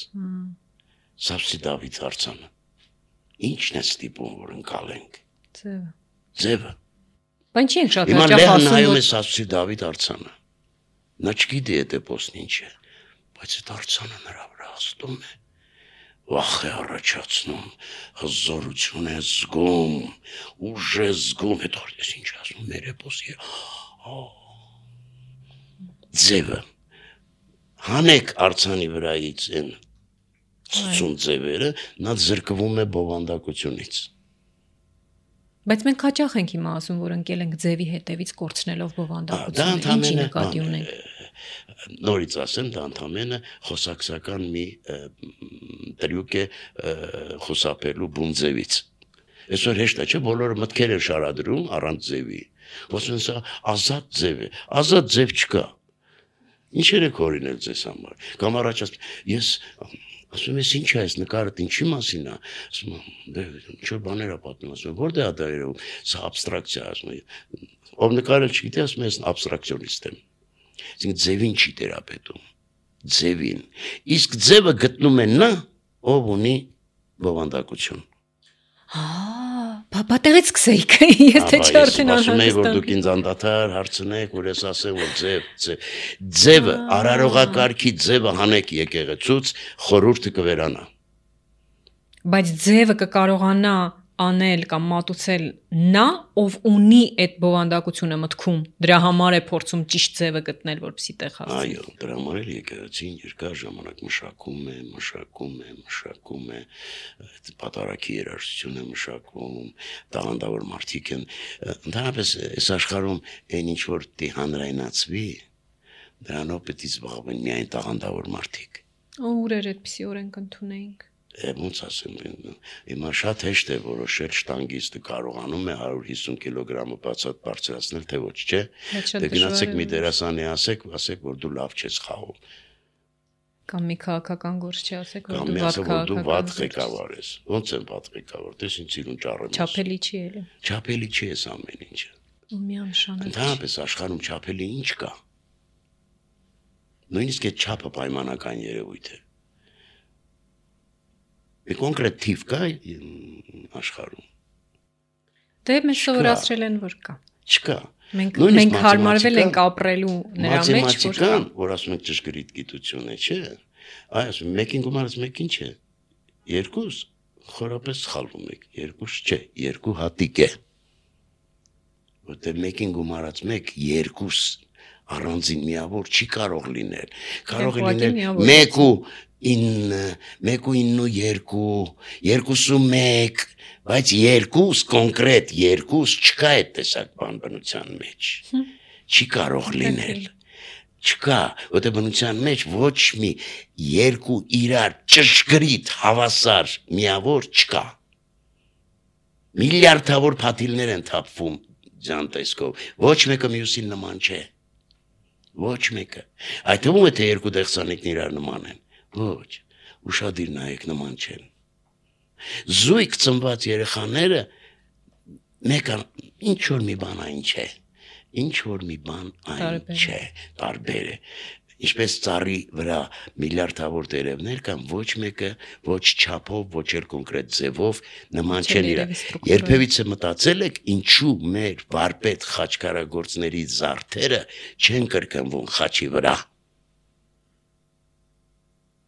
Սավսի Դավիթ արձանը։ Ինչն է ստիպում, որ ընկալենք։ Ձևը։ Բայց չի ենք շատ հաճախ ասում, նայում է Սավսի Դավիթ արձանը։ Նա չգիտի այդ էպոսն ինչ է, բայց այդ արձանը նրա վրա հաստում է։ Վախ է առաջացնում, հզորություն է զգում, ուժ է զգում, հետո ես ինչ ասում, մեր էպոսի ձևը։ Հանեք արձանի վրայից են ցույցուն ձևերը, նա զրկվում է բովանդակությունից։ Բայց մենք հաճախ ենք հիմա ասում, որ ընկել ենք ձևի հետևից կորցնելով բովանդակությունը, ինչի նկատի ունենք։ Նորից ասեմ, դա ընդամենը խոսակցական մի տրյուկ է խուսափելու բուն ձևից։ Այսօր հեշտ է, չէ՞, բոլորը մտքեր են շարադրում առանց ձևի։ Ոսն սա ազատ ձև է, ազատ ձև չկա։ Ինչեր եք օրինել ձեզ համար։ Կամ առաջ ես ասում ես ինչ է այս նկարդ ինչի մասին է, ասում եմ ինչ որ բաներ է պատմում, ասում որտե՞ղ է դա երևում, սա աբստրակցիա, ասում եմ ով նկարել չգիտի, ասում ես աբստրակցիոնիստ եմ։ Այսինքն ձևին չի տերապետում, ձևին։ Իսկ ձևը գտնում է նա, ով ունի բովանդակություն։ Պատեղից սկսեիք, ես թե չի արդեն ասում եմ, որ դուք ինձ անդադար հարցնեք, որ ես ասեմ, որ ձևը, արարողակարգի ձևը հանեք եկեղեցուց, խորհուրդը կվերանա։ Բայց ձևը կկարողանա անել կամ մատուցել նա, ով ունի այդ բովանդակությունը մտքում, դրա համար է փորձում ճիշտ ձևը գտնել, որպեսզի տեղ հասցնի։ Այո, դրա համար էլ եկեղեցին երկար ժամանակ մշակում է, պատարագի երաժշտություն է մշակում, տաղանդավոր մարդիկ են, ընդհանրապես այս աշխարհում այն ինչ որ դի հանրայնացվի, դրանով պետք է զբաղվեն միայն տաղանդավոր մարդիկ։ Ուր էր այդպիսի օրենք ընդունեինք։ Ոնց ասեմ, հիմա շատ հեշտ է որոշել շտանգիստը կարողանում է 150 կիլոգրամը բացատ բարձրացնել, թե ոչ, չէ։ Դե գնացեք մի դերասանի ասեք, որ դու լավ չես խաղում։ Կամ մի քաղաքական գործ չասեք, որ դու վատ ղեկավար ես։ Ոնց եմ վատ ղեկավար, դες ինձ իրուն ճառեմ։ Չափելի չի էլի։ Չափելի չի էս ամեն ինչը։ Միանշանակ։ Ընդհանրապես աշխարհում չափելի ինչ կա։ Նույնիսկ այդ չափը պայմանական երևույթ է։ Մի կոնկրետ թիվ կա աշխարհում։ Դե մեզ սովորացրել են, որ կա։ Չկա։ Մենք հարմարվել ենք ապրելու նրա մեջ, որ կա։ Որ ասում եք ճշգրիտ գիտություն է, չէ՞։ Այ ասում մեկին գումարած մեկին չէ։ Երկուս խորապես սխալվում եք։ Երկուս չէ, երկու հատիկ է։ Որտեղ մեկին գումարած մեկ, երկուս առանձին միավոր չի կարող լինել։ Կարող է լինել 1.9, բայց երկուս կոնկրետ երկուս չկա այդ տեսակ բան բնության մեջ։ Չի կարող լինել։ Չկա, որտեղ բնության մեջ ոչ մի երկու իրար ճշգրիտ հավասար միավոր չկա։ Միլիարդավոր փաթիլներ են թափվում ձյան տեսքով, ոչ մեկը մյուսին նման չէ։ Ոչ մեկը։ Այդ թվում է թե երկու դեղսանիկն իրար նման են։ Ոչ, ուշադիր նայեք նման չեն։ Զույգ ծնված երեխաները մեկը ինչ որ մի բան այն չէ։ Ինչ որ մի բան այն չէ, տարբեր է։ Ինչպես ծառի վրա միլիարդավոր տերևներ կան, ոչ մեկը ոչ չափով, ոչ էլ կոնկրետ ձևով նման չեն իրար։ Երբևիցե մտածել եք ինչու մեր վարպետ խաչքարագործների զարդերը չեն կրկնվում խաչի վրա։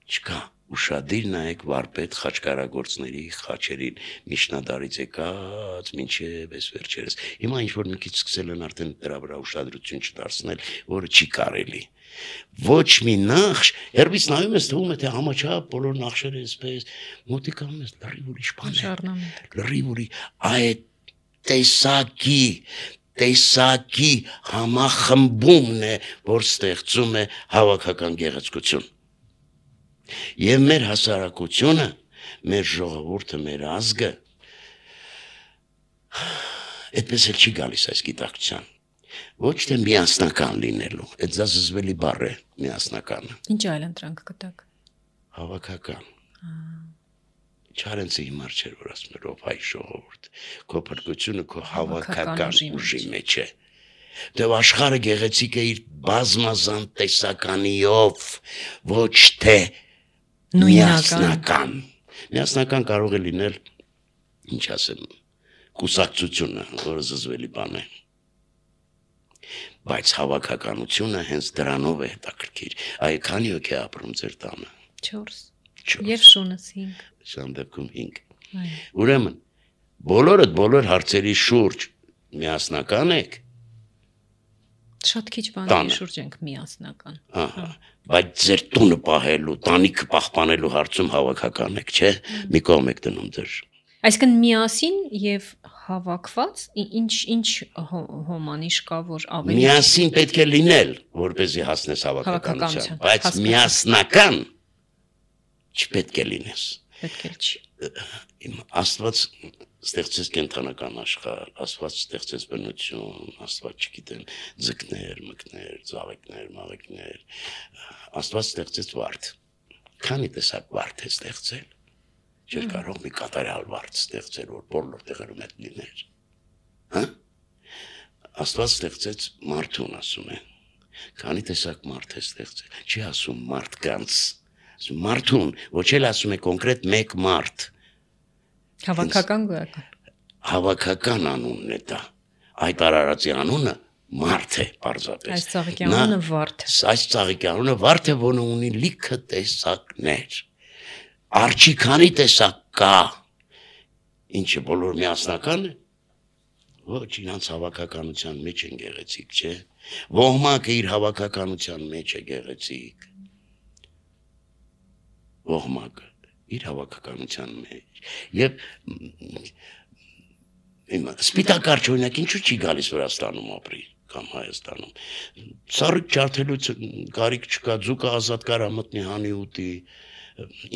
Չկա։ Ուշադիր նայեք վարպետ խաչկարագործների խաչերին միջնադարից եկած մինչև այս վերջերս։ Հիմա ինչ որ մի քիչ սկսել են արդեն դրա վրա ուշադրություն չդարձնել, որը չի կարելի։ Ոչ մի նախշ, երբից նայում ես թվում է թե համաչափ բոլոր նախշերը այսպես մոտիկանում ես լրիվ ուրիշ բան է։ Լրիվ ուրիշ այդ տեսակի համախմբումն է, որ ստեղծում է հավաքական գեղեցկություն։ Եվ մեր հասարակությունը, մեր ժողովուրդը, մեր ազգը այդպես էլ չի գալիս այս գիտակցության։ Ոչ թե միասնական լինելու, այդ զզվելի բառ է միասնականը։ Ինչ այլ ընտրանք կտակ։ Հավաքական։ Չարենցի հիմար չէր, որ ասում էր ով հայ ժողովուրդ, քո փրկությունը քո հավաքական ուժի մեջ է։ Դե աշխարհը գեղեցիկ է իր բազմազան տեսականիով, ոչ թե միասնական։ Միասնական կարող է լինել, ինչ ասեմ, կուսակցությունը, որը զզվելի բան է։ Բայց հավաքականությունը հենց դրանով է հետաքրքիր։ Այ քանի հոգի է ապրում ձեր տանը։ 4 Եվ շունս 5։ Շան դեպքում 5։ Ուրեմն բոլոր հարցերի շուրջ միասնական եք։ Շատ քիչ բաների շուրջ ենք միասնական։ Ահա, բայց ձեր տունը պահելու, տանիքը պահպանելու հարցում հավաքական եք, չէ՞։ Մի կողմ եք դնում ձեր։ Այսինքն միասին եւ հավաքված ինչ հոմանիշ կա, որ ավելի միասին պետք է լինել, որպեսզի հասնես հավաքականության, բայց միասնական չպետք է լինես։ Պետք է չի։ Աստված ստեղծեց կենթանական աշխարհ, Աստված ստեղծեց բնություն, Աստված չգիտեմ, ձկներ, մկներ, ծաղիկներ, մաղիկներ, Աստված ստեղծեց վարդ։ Քանի տեսակ վարդ է ստեղծել։ Չէր կարող մի կատարյալ վարդ ստեղծել, որ բոլոր տեղերում այդ լիներ։ Հա? Աստված ստեղծեց մարդուն, ասում են։ Քանի տեսակ մարդ է ստեղծել։ Չի ասում մարդկանց, ասում մարդուն, ոչ էլ ասում է կոնկրետ մեկ մարդ։ Հավաքական գոյական։ Հավաքական անունն է դա։ Այդ արարածի անունը մարդ է, պարզապես։ Այս ծաղիկի անունը վարդ է։ Այս ծաղիկի անունը վարդ է, որը ունի լիքը տեսակներ։ Արջի քանի տեսակ կա, ինչը բոլոր միասնական է, ոչ իրանց հավաքականության մեջ են գեղեցիկ, չէ, ոհմակը իր հավաքականության մեջ է գեղեցիկ, ոհմակը իր հավաքականության մեջ, և սպիտակարճ օրինակ ինչու չի գալիս Վրաստանում ապրի, կամ Հայաստանում, սառիկ ջարդելուց կարիք չկա, ձուկը ազատ կարա մտնի հանի ուտի,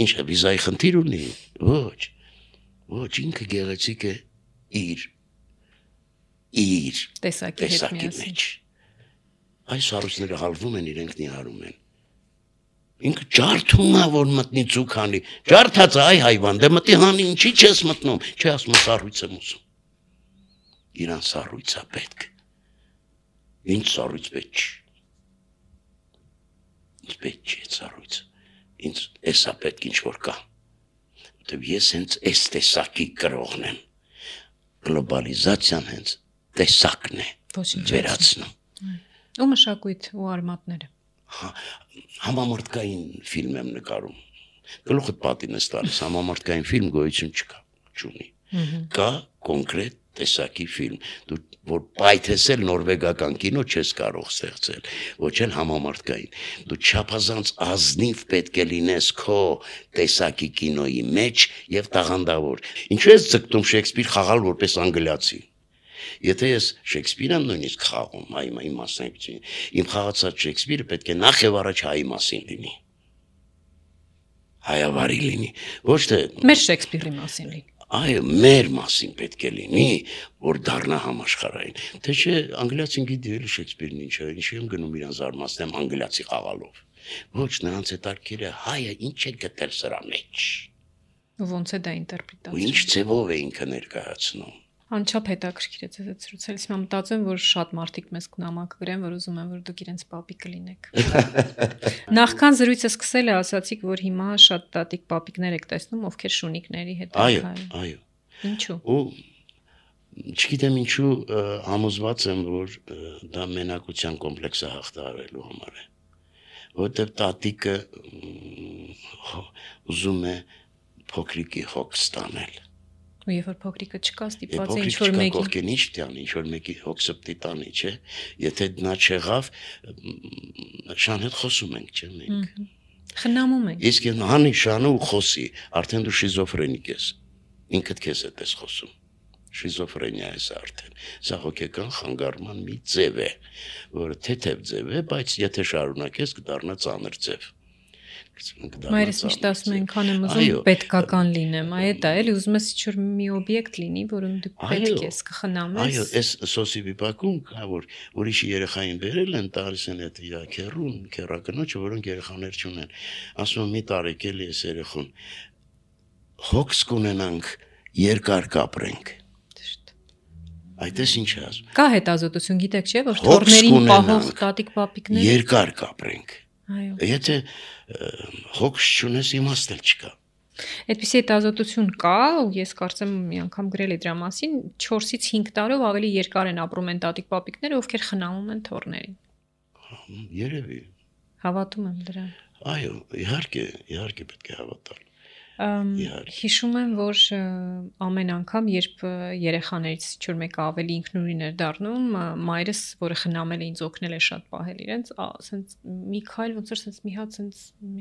ինչ է, վիզայի խնդիր ունի, ոչ, ինքը գեղեցիկ է իր տեսակի մեջ, այս հարուսները հալվում են, իրենք նիհարում են, ինքը ջարդում է, որ մտնի ձուկ հանի, ջարդած է, այ հայվան, դե մտի հանի, ինչի չես մտնում, չէ ասում է սառույց եմ ուզում, իրան սառույց է պետք, ինչ սառույց պետք չի, ինչ պետք չի այդ սառույցը, ինձ էսա պետք ինչ-որ կա, որտև ես հենց այս տեսակի կրողն եմ, գլոբալիզացիան հենց տեսակն է վերացնում։ Ու մշակույթ ու արմատները։ Համամարտկային ֆիլմ եմ նկարում, գլուխդ պատին ես տալիս, համամարտկային ֆիլմ գոյություն չկա, չունի, կա կոնկրետ տեսակի ֆիլմ, դու որ պայթեսել նորվեգական կինո չես կարող ստեղծել, ոչ էլ համամարտկային, դու չափազանց ազնիվ պետք է լինես քո տեսակի կինոյի մեջ և տաղանդավոր, ինչու ես ձգտում Շեքսպիր խաղալ որպես անգլիացի, եթե ես Շեքսպիր եմ նույնիսկ խաղում, իմ մասնակցություն, իմ խաղացած Շեքսպիրը պետք է նախ և առաջ հայի մասին լինի, հայավարի լինի, ոչ թե մեր Շեքսպիրի մասին լինի, այո, մեր մասին պետք է լինի, որ դառնա համաշխարհային, թե չէ անգլիացին գիտի էլի Շեքսպիրն ինչ է, ինչի եմ գնում իրան զարմացնեմ անգլիացի խաղալով, ոչ նրանց հետաքրքիր է հայը ինչ է գտել սրա մեջ, ոնց է դա ինտերպրետացիա, ու ինչ ձևով է ինքը ներկայացնում, անչափ հետաքրքիր է ձեզ այդ ցուցելիս, հիմա մտածում եմ, որ շատ մարդիկ մեզ նամակ գրեն, որ ուզում են, որ դուք իրենց պապիկ կլինեք։ Նախքան զրույցը սկսել է, ասացիք, որ հիմա շատ տատիկ պապիկներ եք տեսնում, ովքեր շունիկների հետ են քայլում։ Այո։ Ինչու։ Ու չգիտեմ ինչու համոզված եմ, որ դա մենակության կոմպլեքսը հաղթահարելու համար է, որովհետև տատիկը ուզում է փոքրիկի հոգ ստանել։ Ու երբ որ փոքրիկը չկա, ստիպված է Փոքրիկ ինչ-որ չկա մեկի կողքին ինչ տանի, ինչ-որ մեկի հոգսը պիտի տանի, չէ։ Եթե նա չեղավ, շան հետ խոսում ենք, չէ՞ մենք։ խնամում ենք։ Իսկ հանի շանը ու խոսի, արդեն դու շիզոֆրենիկ ես։ Ինքդ քեզ հետ ես խոսում։ Շիզոֆրենիա է արդեն։ Սա հոգեկան խանգարման մի ձև է, որը թեթև ձև է, բայց եթե շարունակես կդառնա ծանր ձև։ Մայրս միշտ ասում է, այնքան եմ ուզում պետքական լինեմ, այ դա էլի ուզում ես ինչ-որ մի օբյեկտ լինի, որում դու պետք ես կխնամես։ Այո, այս սոսի վիպակում կա, որ ուրիշի երեխային բերել են, տալիս են այդ քերուն, քերակնոջը, որոնք երեխաներ չունեն։ Ասում եմ՝ մի տարեք էլի այս երեխուն։ Հոգս կունենանք, երկար կապրենք։ Այդպես ինչ է ասում։ Կա հետազոտություն, գիտեք չէ, որ թորներին պահող տատիկ պապիկներ երկար կապրենք։ Այո։ Եթե հոգս չունես, իմաստ էլ չկա։ Այդպիսի հետազոտություն կա, ու ես կարծեմ մի անգամ գրել եմ դրա մասին, 4-ից 5 տարով ավելի երկար են ապրում են տատիկ պապիկները, ովքեր խնամում են թորներին։ Երևի։ Հավատում եմ դրան։ Այո, իհարկե պետք է հավատալ։ Հիշում եմ, որ ամեն անգամ, երբ երեխաներից ինչ-որ մեկը ավելի ինքնուրույն էր դառնում, մայրս, որը խնամել է ինձ օգնել է շատ պահել իրենց, ասենց մի քայլ ոնց որ ասենց մի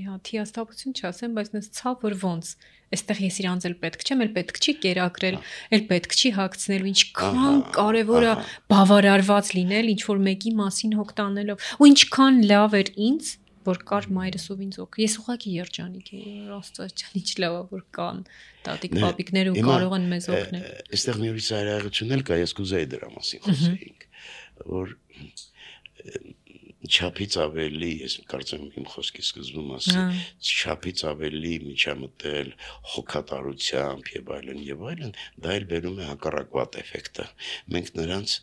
հատ հիասթափություն չասեմ, բայց նենց ցավ որ ոնց, այստեղ ես իրանց էլ պետք չեմ, էլ պետք չի կերակրել, էլ պետք չի հագցնելու, ինչքան կարևոր է բավարարված լինել ինչ-որ մեկի մասին հոգ տանելով, ու ինչքան լավ էր ինձ որ կար մայրս ով ինձ օգ։ Ես ուղղակի երջանիկ եի, Աստված ջան, ինչ լավ է որ կան տատիկ պապիկներ ու կարող են մեզ օգնել։ Այստեղ մի ուրիշ ծայրահեղություն էլ կա, ես կուզեի դրա մասին խոսեինք, որ չափից ավելի, ես կարծեմ իմ խոսքի սկզբում ասի, չափից ավելի միջամտել հոգատարությամբ եւ այլն, դա էլ բերում է հակառակվատ էֆեկտը։ Մենք նրանց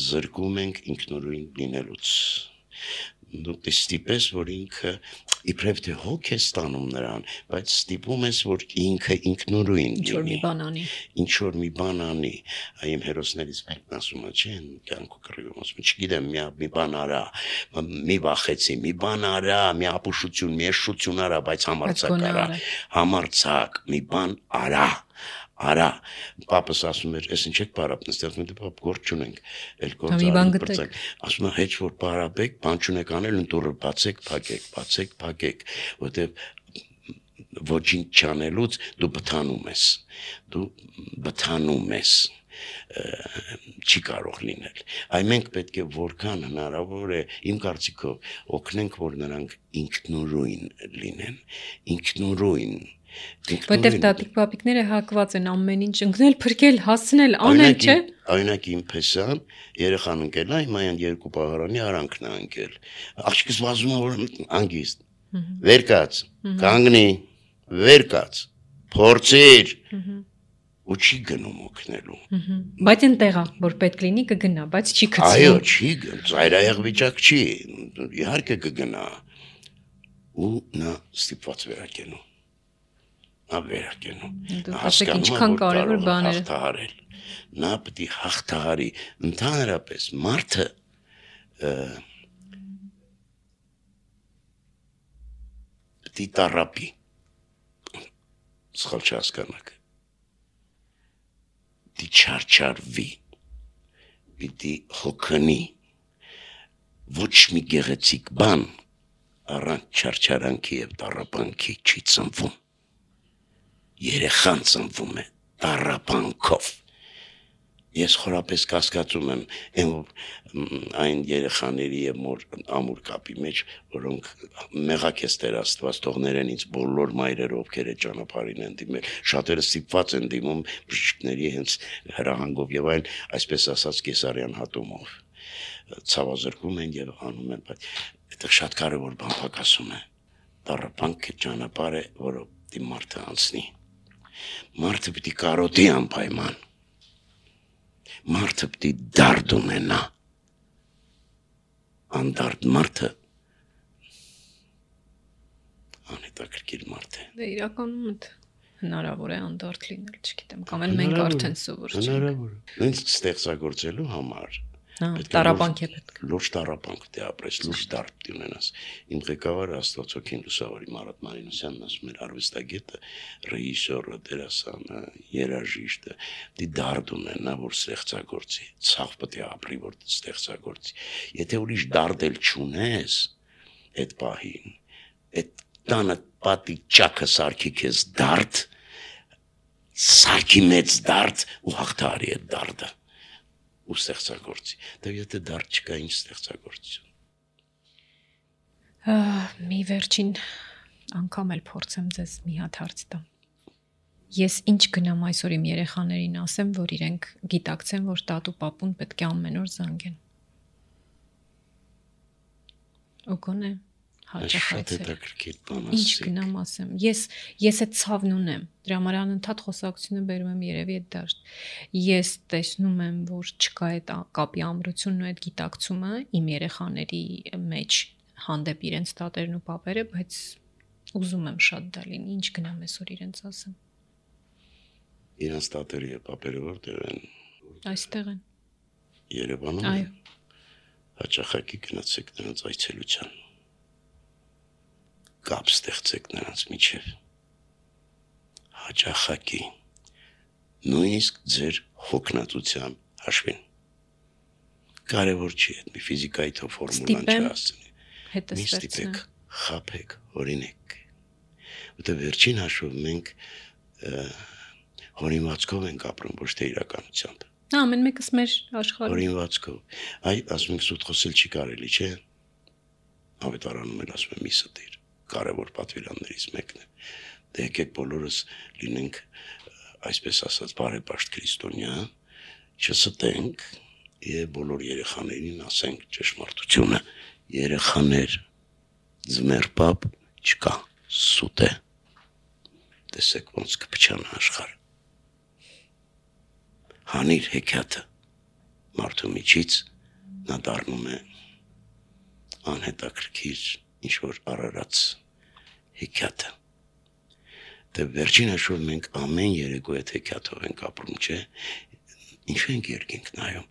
զրկում ենք ինքնուրույն լինելուց։ Դու ստիպես, որ ինքը իբրև թե հոգ է ստանում նրան, բայց ստիպում ես, որ ինքը ինքնուրույն լինի, ինչ-որ մի բան անի, այմ հերոսներից մեկն ասում է, չէ, կյանքու կռիվում, ասում, չգիտեմ, մի բան արա, մի վախեցի, մի բան արա, մի ապուշություն, մի էշություն արա, բայց համարձակ արա, համարձակ, մի բան արա, պապս ասում էր, ես ինչ եք պարապն, ստեղ մենք պապ գործ չունենք, էլ գործ ասում է, հեչ որ պարապեք, բան չունեք անել, ընտուրը բացեք, փակեք, որտեվ ոչինչ չանելուց դու բթանում ես, չի կարող լինել, այ մենք պետք է որքան հնարավոր է, իմ կարծիքով, օգնենք, որ նրանք ինքնուրույն լինեն, Որտեվ տատիկ պապիկները հակված են ամեն ինչ ընկնել, փրկել, հասցնել, անել, չէ։ Օրինակ իմ փեսան երեխան ընկել է, հիմա այն երկու պահարանի արանքն է ընկել։ Աղջիկս վազում է որ հանգիստ։ Վեր կաց, կանգնի, վեր կաց, փորձիր։ Ու չի գնում օգնելու։ Բայց այնտեղ է, որ պետք լինի կգնա, բայց չի գցում։ Այո, չի գնում, ծայրահեղ վիճակ չի, իհարկե կգնա։ Ու նա ստիպված վերակենում։ Ինչքան կարևոր բաներ հաղթահարել։ Նա պետք է հաղթահարի ընդհանրապես մարդը պետք է տարապի սխալ չհասկանաք պետք է չարչարվի պետք է հոգնի ոչ մի գեղեցիկ բան առանց չարչարանքի եւ տարապանքի չի ծնվում երեխան ծնվում է տառապանքով ես խորապես կասկածում եմ այն երեխաների եւ ամուր կապի մեջ որոնք մեղակ ես Տեր Աստված թողներեն ինձ բոլոր մայրերը ովքեր է ճանապարհին են դիմել շատերը ստիպված են դիմում բժիշկների հենց հրահանգով եւ այլ այսպես ասած կեսարյան հատումով ցավազրկում են եւ անում են բայց այդտեղ շատ կարեւոր բան փակասում է տառապանքը ճանապարհ է որը դի մարդը անցնի Մարդը պիտի կարոտի անպայման, մարդը պիտի դարդ ունենա, անդարդ մարդը, անհետաքրքիր մարդ է։ Դե իրականում հնարավոր է անդարդ լինել, չգիտեմ, կամ էլ մենք արդեն սովոր չենք։ Հնարավոր է, նույնիսկ ստեղծագործելու համար, Տառապանք է պետք։ Լուրջ տառապանք դե ապրես, լուրջ դարդ ունենաս։ Իմ ղեկավարը Աստվածօքին Լուսավորի Մարատ Մարինոսյանն ասում էր արվեստագետը, ռեժիսորը, դերասանը, երաժիշտը, դի դարդ ունենա, որ ստեղծագործի, ցավ պետք է ապրի, որ ստեղծագործի։ Եթե ուրիշ դարդ էլ չունես, այդ պահին, այդ տանը պատի ճակը սարքի քեզ դարդ, սարքի մեծ դարդ ու հաղթարի այդ դարդը։ Ու ստեղծագործի։ Դե եթե դարդ չկա, ինչ ստեղծագործություն։ Մի վերջին անգամ էլ փորձեմ ձեզ մի հատ հարց տամ։ Ես ինչ գնամ այսօր իմ երեխաներին ասեմ, որ իրենք գիտակցեն, որ տատու պապուն պետք է ամեն օր զանգեն։ Ու գոնե հաճախ այցել։ Ինչ գնամ ասեմ։ Ես այդ ցավն ունեմ։ Դրա համար անընդհատ խոսակցությունը բերում եմ երևի այդ դաշտ։ Ես տեսնում եմ, որ չկա այդ կապի ամրությունն ու այդ գիտակցումը իմ երեխաների մեջ հանդեպ իրենց տատերն ու պապերը, բայց ուզում եմ շատ դա լինի։ Ինչ գնամ այսօր իրենց ասեմ։ Իրենց տատերը եւ պապերը որտեղ են։ Այստեղ են։ Երևանում։ Այո։ Հաճախակի գնացեք նրանց այցելության։ Կապ ստեղծեք նրանց միջև։ Հաճախակի նույնիսկ ձեր հոգնածության հաշվին։ Կարևոր չի այդ մի ֆիզիկայի թո ֆորմուլան չհասցնի։ Մի ստիպեք, խաբեք, օրինեք։ Որտե վերջին հաշվով մենք հորինվածքով ենք ապրում, ոչ թե իրականությամբ։ Ամեն մեկս մեր աշխարհում։ Հորինվածքով։ Այ ասում ենք սուտ խոսել չի կարելի, չէ՞։ Ավետարանում էլ ասում եմ մի ստիր։ Կարևոր պատվիրաններից մեկն է։ Դե եկեք բոլորս լինենք, այսպես ասած, բարեպաշտ քրիստոնյա, չստենք եւ բոլոր երեխաներին ասենք ճշմարտությունը։ Երեխաներ, ձմեր պապ չկա, սուտ է։ Տեսեք ոնց կփչանա աշխարհը։ Հանիր հեքիաթը մարդու միջից նա դառնում է անհետաքրքիր ինչ որ արարած հեքիաթը։ Դե վերջին հաշվով մենք ամեն երեկո այդ հեքիաթով ենք ապրում, չէ՞։ Ինչու ենք երկինք նայում,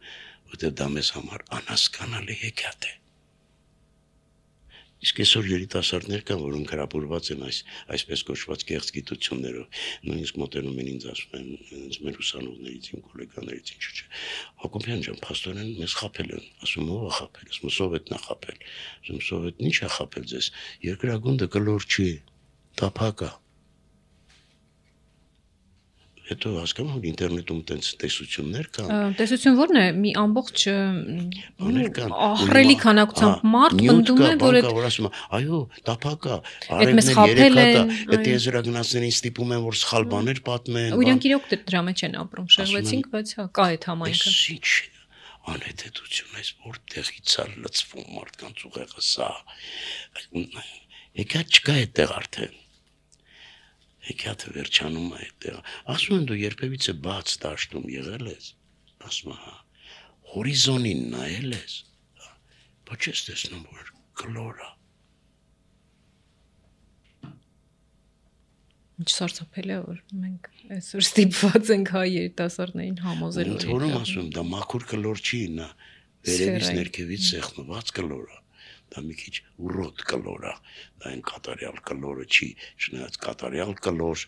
որտեղ դա մեզ համար անհասկանալի հեքիաթ է։ Իսկ այսօր երիտասարդներ կան, որոնք հրապուրված են այսպես կոչված կեղծ գիտություններով, նույնիսկ մոտենում են ինձ ասում են, մեր ուսանողներից, իմ գոլեգաներից, ինչու՞ չէ։ Հակոբյան ջան, փաստորեն մեզ խաբել են, ասում ով է խաբել, ասում սովետն է խաբել, ասում սովետն ի՞նչ է խաբել ձեզ, երկրագունդը կլոր չի, տափակ է։ Հետո հասկանում եմ ինտերնետում տենց տեսություններ կան։ Տեսություն ո՞րն է։ Մի ամբողջ ահռելի քանակությամբ մարդ պնդում է, որ այդ ասում է, այո, տափակ է, արևն է, երեքա է, այդ եզրագնացներին ստիպում են, որ սխալ բաներ պատմեն։ Ու իրանք իրոք դրա մեջ են ապրում, շեղվեցինք, բայց հա, կա այդ համայնքը։ Ինչ անհետեցություն է, որտեղից է լցվում մարդկանց ուղեղը սա։ Եկա չկա այդտեղ արդեն։ Հեքիաթը վերջանում է այդտեղ։ Ասում են դու երբևիցե բաց դաշտում եղել ես։ Ասում հա, հորիզոնին նայել ես։ Բայց չես տեսնում որ կլոր է։ Ինչ սարսափելի է որ մենք այսօր ստիպված ենք հայ երիտասարդներին համոզելու։ Ընդհանրում ասում դա մաքուր կլոր չի, նա վերևից ներքևից սեղմված կլոր է։ Դա մի քիչ ուռոտ կլոր է, դա այն կատարյալ կլորը չի, չնայած կատարյալ կլոր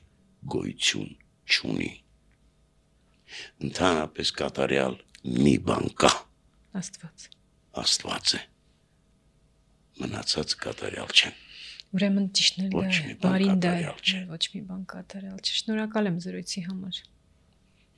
գոյություն չունի։ Ընդհանրապես կատարյալ մի բան կա։ Աստված է։ Մնացած կատարյալ չեն։ Ուրեմն ճիշտն է, բարին դա է, ոչ մի բան կատարյալ չէ։ Շնորհակալ եմ զրույցի համար։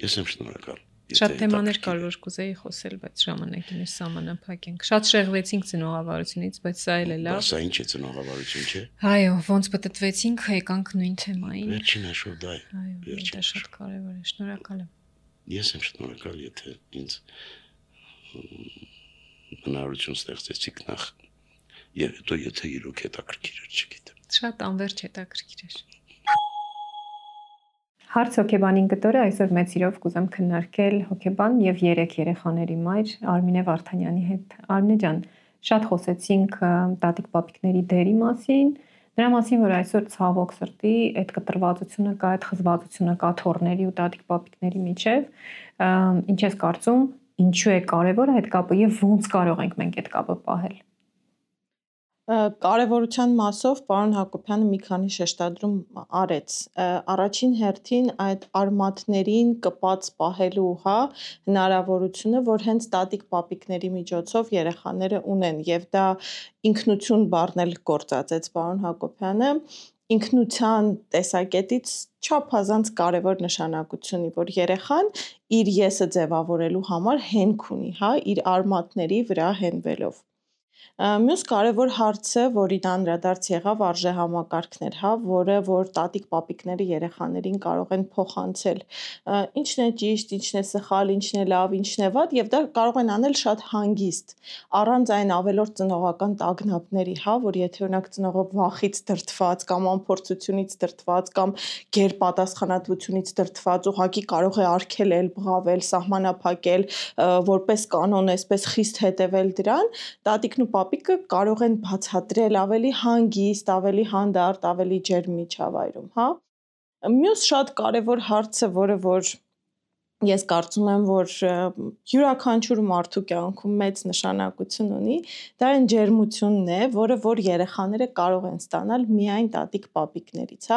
Ես եմ շնորհակալ։ Շատ թեմաներ կար, որ կուզեի խոսել, բայց ժամանակին է սահմանափակ ենք։ Շատ շեղվեցինք ծնողավարությունից, բայց սա էլ է լավ։ Սա ինչ է ծնողավարություն, չէ։ Այո, ոնց պատտվեցինք, եկանք նույն թեմային։ Վերջին հաշվով դա է։ Այո, դա շատ կարևոր է։ Շնորհակալ եմ։ Ես եմ շնորհակալ, եթե ինձ հնարավորություն ստեղծեցիք նախ եւ հետո եթե իրոք հետաքրքիր էր, չգիտեմ։ Շատ անverջ հետաքրքիր էր։ Հարց հոկեբանին կտորը այսօր մեծ սիրով կուզեմ քննարկել հոկեբան եւ 3 երեխաների մայր Արմինե Վարդանյանի հետ։ Արմինե ջան, շատ խոսեցինք տատիկ պապիկների դերի մասին, նրա մասին, որ այսօր ցավոք սրտի այդ կտրվածությունը կա, այդ խզվածությունը կա թորների ու տատիկ պապիկների միջև։ Ինչ ես կարծում, ինչու է կարևոր այդ կապը եւ ոնց կարող ենք մենք այդ կապը պահել։ Կարևորության մասով պարոն Հակոբյանը մի քանի շեշտադրում արեց։ Առաջին հերթին այդ արմատներին կպած պահելու, հնարավորությունը, որ հենց տատիկ պապիկների միջոցով երեխաները ունեն, եւ դա ինքնություն բառն էլ գործածեց պարոն Հակոբյանը, ինքնության տեսակետից չափազանց կարևոր նշանակություն ունի, որ երեխան իր եսը ձևավորելու համար հենք ունի, իր արմատների վրա հենվելով։ Մյուս կարևոր հարցը, որին անդրադարձ եղավ, արժեհամակարգն էր, որը որ տատիկ պապիկները երեխաներին կարող են փոխանցել։ Ինչն է ճիշտ, ինչն է սխալ, ինչն է լավ, ինչն է վատ, եւ դա կարող են անել շատ հանգիստ, առանց այն ավելորդ ծնողական տագնապների, որ եթե օրինակ ծնողը վախից դրդված կամ անփորձությունից դրդված կամ գերպատասխանատվությունից դրդված ուղղակի կարող է արգելել, բղավել, սահմանափակել, որպես կանոն, այսպես խիստ հետևել դրան, տատիկն ու պապիկը կարող են բացատրել ավելի հանգիստ, ավելի հանդարտ, ավելի ջերմ միջավայրում, Մյուս շատ կարևոր հարցը, որը որ ես կարծում եմ, որ յուրաքանչյուր մարդու կյանքում մեծ նշանակություն ունի, դա այն ջերմությունն է, որը որ երեխաները կարող են ստանալ միայն տատիկ պապիկներից,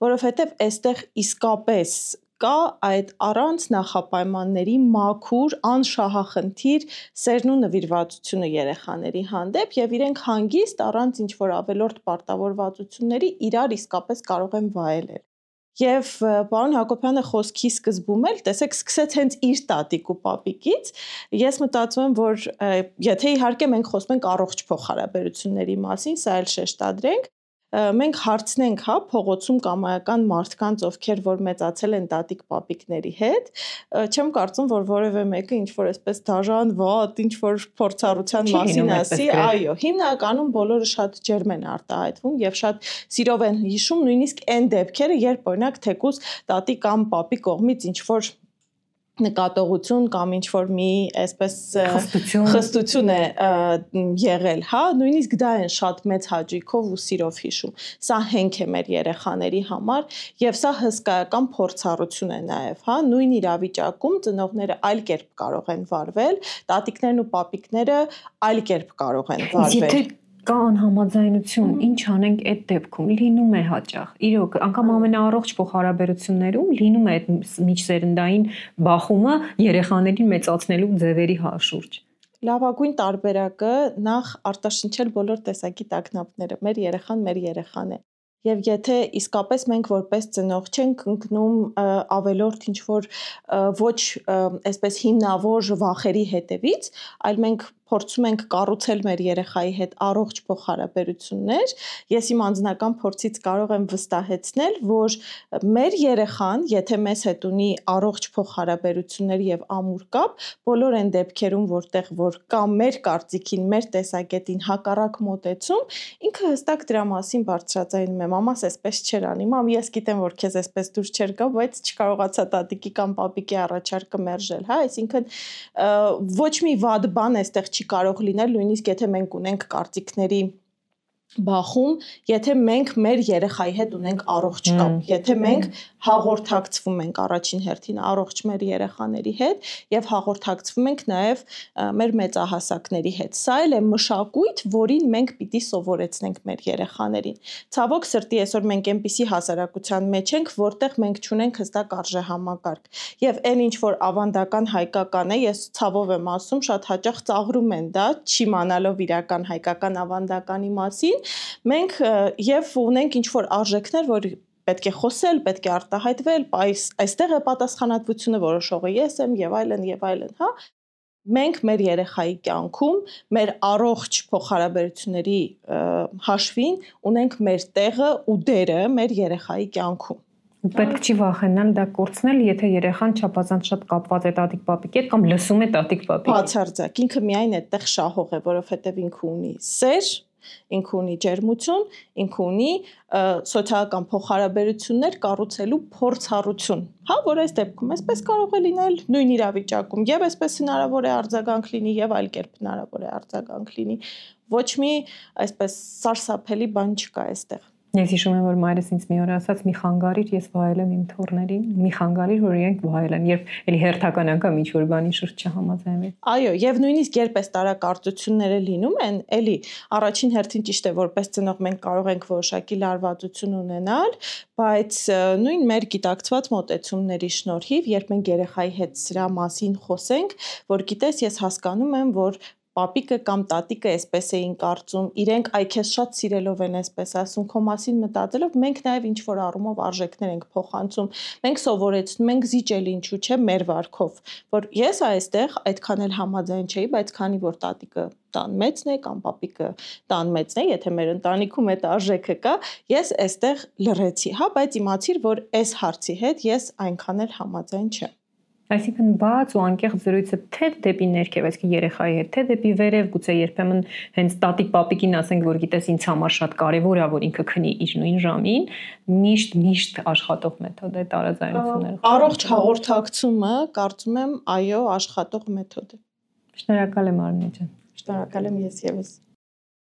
որովհետև այստեղ իսկապես կա այդ առանց նախապայմանների մաքուր, անշահախնդիր սերն ու նվիրվածությունը երեխաների հանդեպ եւ իրենք հանգիստ առանց ինչ-որ ավելորդ պարտավորվածությունների իրար իսկապես կարող են վայելել։ Եվ պարոն Հակոբյանը խոսքի սկզբում էլ, տեսեք, սկսեց հենց իր տատիկ ու պապիկից, ես մտածում եմ, որ եթե իհարկե մենք խոսում ենք առողջ փոխհարաբերությունների մասին, սա էլ շեշտադրենք, մենք հարցնենք, փողոցում կամայական մարդկանց, ովքեր որ մեծացել են տատիկ պապիկների հետ, չեմ կարծում, որ որևէ մեկը ինչ-որ այսպես դաժան, վատ, ինչ-որ փորձառության մասին ասի, այո, հիմնականում բոլորը շատ ջերմ են արտահայտվում եւ շատ սիրով են հիշում նույնիսկ այն դեպքերը, երբ օրինակ թեկուզ տատիկ կամ պապի կողմից ինչ-որ նկատողություն կամ ինչ-որ մի այսպես խստություն է եղել, նույնիսկ դա են շատ մեծ հաճույքով ու սիրով հիշում։ Սա հենք է մեր երեխաների համար եւ սա հսկայական փորձառություն է նաեւ, նույն իրավիճակում ծնողները այլ կերպ կարող են վարվել, տատիկներն ու պապիկները այլ կերպ կարող են վարվել։ Կա անհամաձայնություն, ինչ անենք այդ դեպքում, լինում է հաճախ, իրոք, անգամ ամենաառողջ փոխհարաբերություններում լինում է այդ միջսերնդային բախումը երեխաներին մեծացնելու ձևերի շուրջ։ Լավագույն տարբերակը նախ արտաշնչել բոլոր տեսակի տագնապները, մեր երեխան է։ Եվ եթե իսկապես մենք որպես ծնող չենք ընկնում ավելորդ ինչ-որ ոչ այսպես հիմնավոր վախերի հետևից, այլ մենք փորձում ենք կառուցել մեր երեխայի հետ առողջ փոխհարաբերություններ, ես իմ անձնական փորձից կարող եմ վստահեցնել, որ մեր երեխան, եթե մեզ հետ ունի առողջ փոխհարաբերություններ եւ ամուր կապ, բոլոր այն դեպքերում, որտեղ որ կա մեր կարծիքին, մեր տեսակետին հակառակ մոտեցում, ինքը հստակ դրա մասին բարձրաձայնում է, մամաս այսպես չէր անի, մամ, ես գիտեմ, որ քեզ այսպես դուր չեր գա, բայց չկարողացա տատիկի կամ պապիկի առաջարկը մերժել, այսինքն ոչ մի վատ բան այստեղ չի կարող լինել, նույնիսկ եթե մենք ունենք կարծիքների բախում, եթե մենք մեր երեխայի հետ ունենք առողջ կապ, եթե մենք հաղորդակցվում ենք առաջին հերթին առողջ մեր երեխաների հետ եւ հաղորդակցվում ենք նաեւ մեր մեծահասակների հետ։ Սա էլ է մշակույթ, որին մենք պիտի սովորեցնենք մեր երեխաներին։ Ցավոք սրտի այսօր մենք այնպիսի հասարակության մեջ ենք, որտեղ մենք չունենք հստակ արժեհամակարգ։ Եվ այն ինչ որ ավանդական հայկական է, ես ցավով եմ ասում, շատ հաճախ ծաղրում են դա, չիմանալով իրական հայկական ավանդականի մասին, մենք եւ ունենք ինչ-որ արժեքներ, որ պետք է խոսել, պետք է արտահայտվել, այստեղ է պատասխանատվությունը, որոշողը ես եմ եւ այլն, Մենք մեր երեխայի կյանքում, մեր առողջ փոխհարաբերությունների հաշվին ունենք մեր տեղը ու դերը մեր երեխայի կյանքում։ Պետք չի վախենալ դա կորցնել, եթե երեխան չափազանց շատ կապված է տատիկ-պապիկի հետ կամ լսում է տատիկ-պապիկին։ Բացարձակ, ինքը միայն այդտեղ շահող է, որովհետեւ ինքը ունի սեր, ինքը ունի ջերմություն, ինքը ունի սոցիալական փոխհարաբերություններ կառուցելու փորձառություն, որ այս դեպքում այսպես կարող է լինել նույն իրավիճակում, եւ այսպես հնարավոր է արձագանք լինի եւ այլ կերպ հնարավոր է արձագանք լինի։ Ոչ մի այսպես սարսափելի բան չկա այստեղ։ Ես հիշում եմ, որ մայրս ինձ մի օր ասաց՝ մի խանգարիր, ես վայել եմ իմ թոռներին, մի խանգարիր, որ իրենք վայել են, երբ էլի հերթական անգամ ինչ որ բանի շուրջ չհամաձայնվի։ Այո, եւ նույնիսկ երբ այս տարակարծությունները լինում են, էլի առաջին հերթին ճիշտ է, որպես ծնող մենք կարող ենք որոշակի լարվածություն ունենալ, բայց նույն մեր գիտակցված մոտեցումների շնորհիվ, երբ մենք երեխայի հետ սրա մասին խոսենք, որ գիտես, ես հասկանում եմ, որ պապիկը կամ տատիկը այսպես էին կարծում, իրենք այ քեզ շատ սիրելով են այսպես ասում, քո մասին մտածելով, մենք նաև ինչ որ առումով արժեքներ ենք փոխանցում, մենք սովորեցնում ենք զիջել ինչու՞ չէ մեր վարքով, որ ես այստեղ այդքան էլ համաձայն չէի, բայց քանի որ տատիկը տան մեծն է կամ պապիկը տան մեծն է, եթե մեր ընտանիքում այդ արժեքը կա, ես այստեղ լռեցի, հա, բայց իմացիր, որ այս հարցի հետ ես այնքան էլ համաձայն չեմ։ Այսինքն բաց ու անկեղծ զրույցը թե դեպի ներքև, այսինքն երեխայի հետ, թե դեպի վերև, գուցե երբեմն հենց տատիկ պապիկին ասենք, որ գիտես ինձ համար շատ կարևոր է, որ ինքը քնի իր նույն ժամին, միշտ աշխատող մեթոդ է տարաձայնությունները։ Առողջ հաղորդակցումը, կարծում եմ, այո, աշխատող մեթոդ է։ Շնորհակալ եմ Արմինե ջան։ Շնորհակալ եմ ես եւս։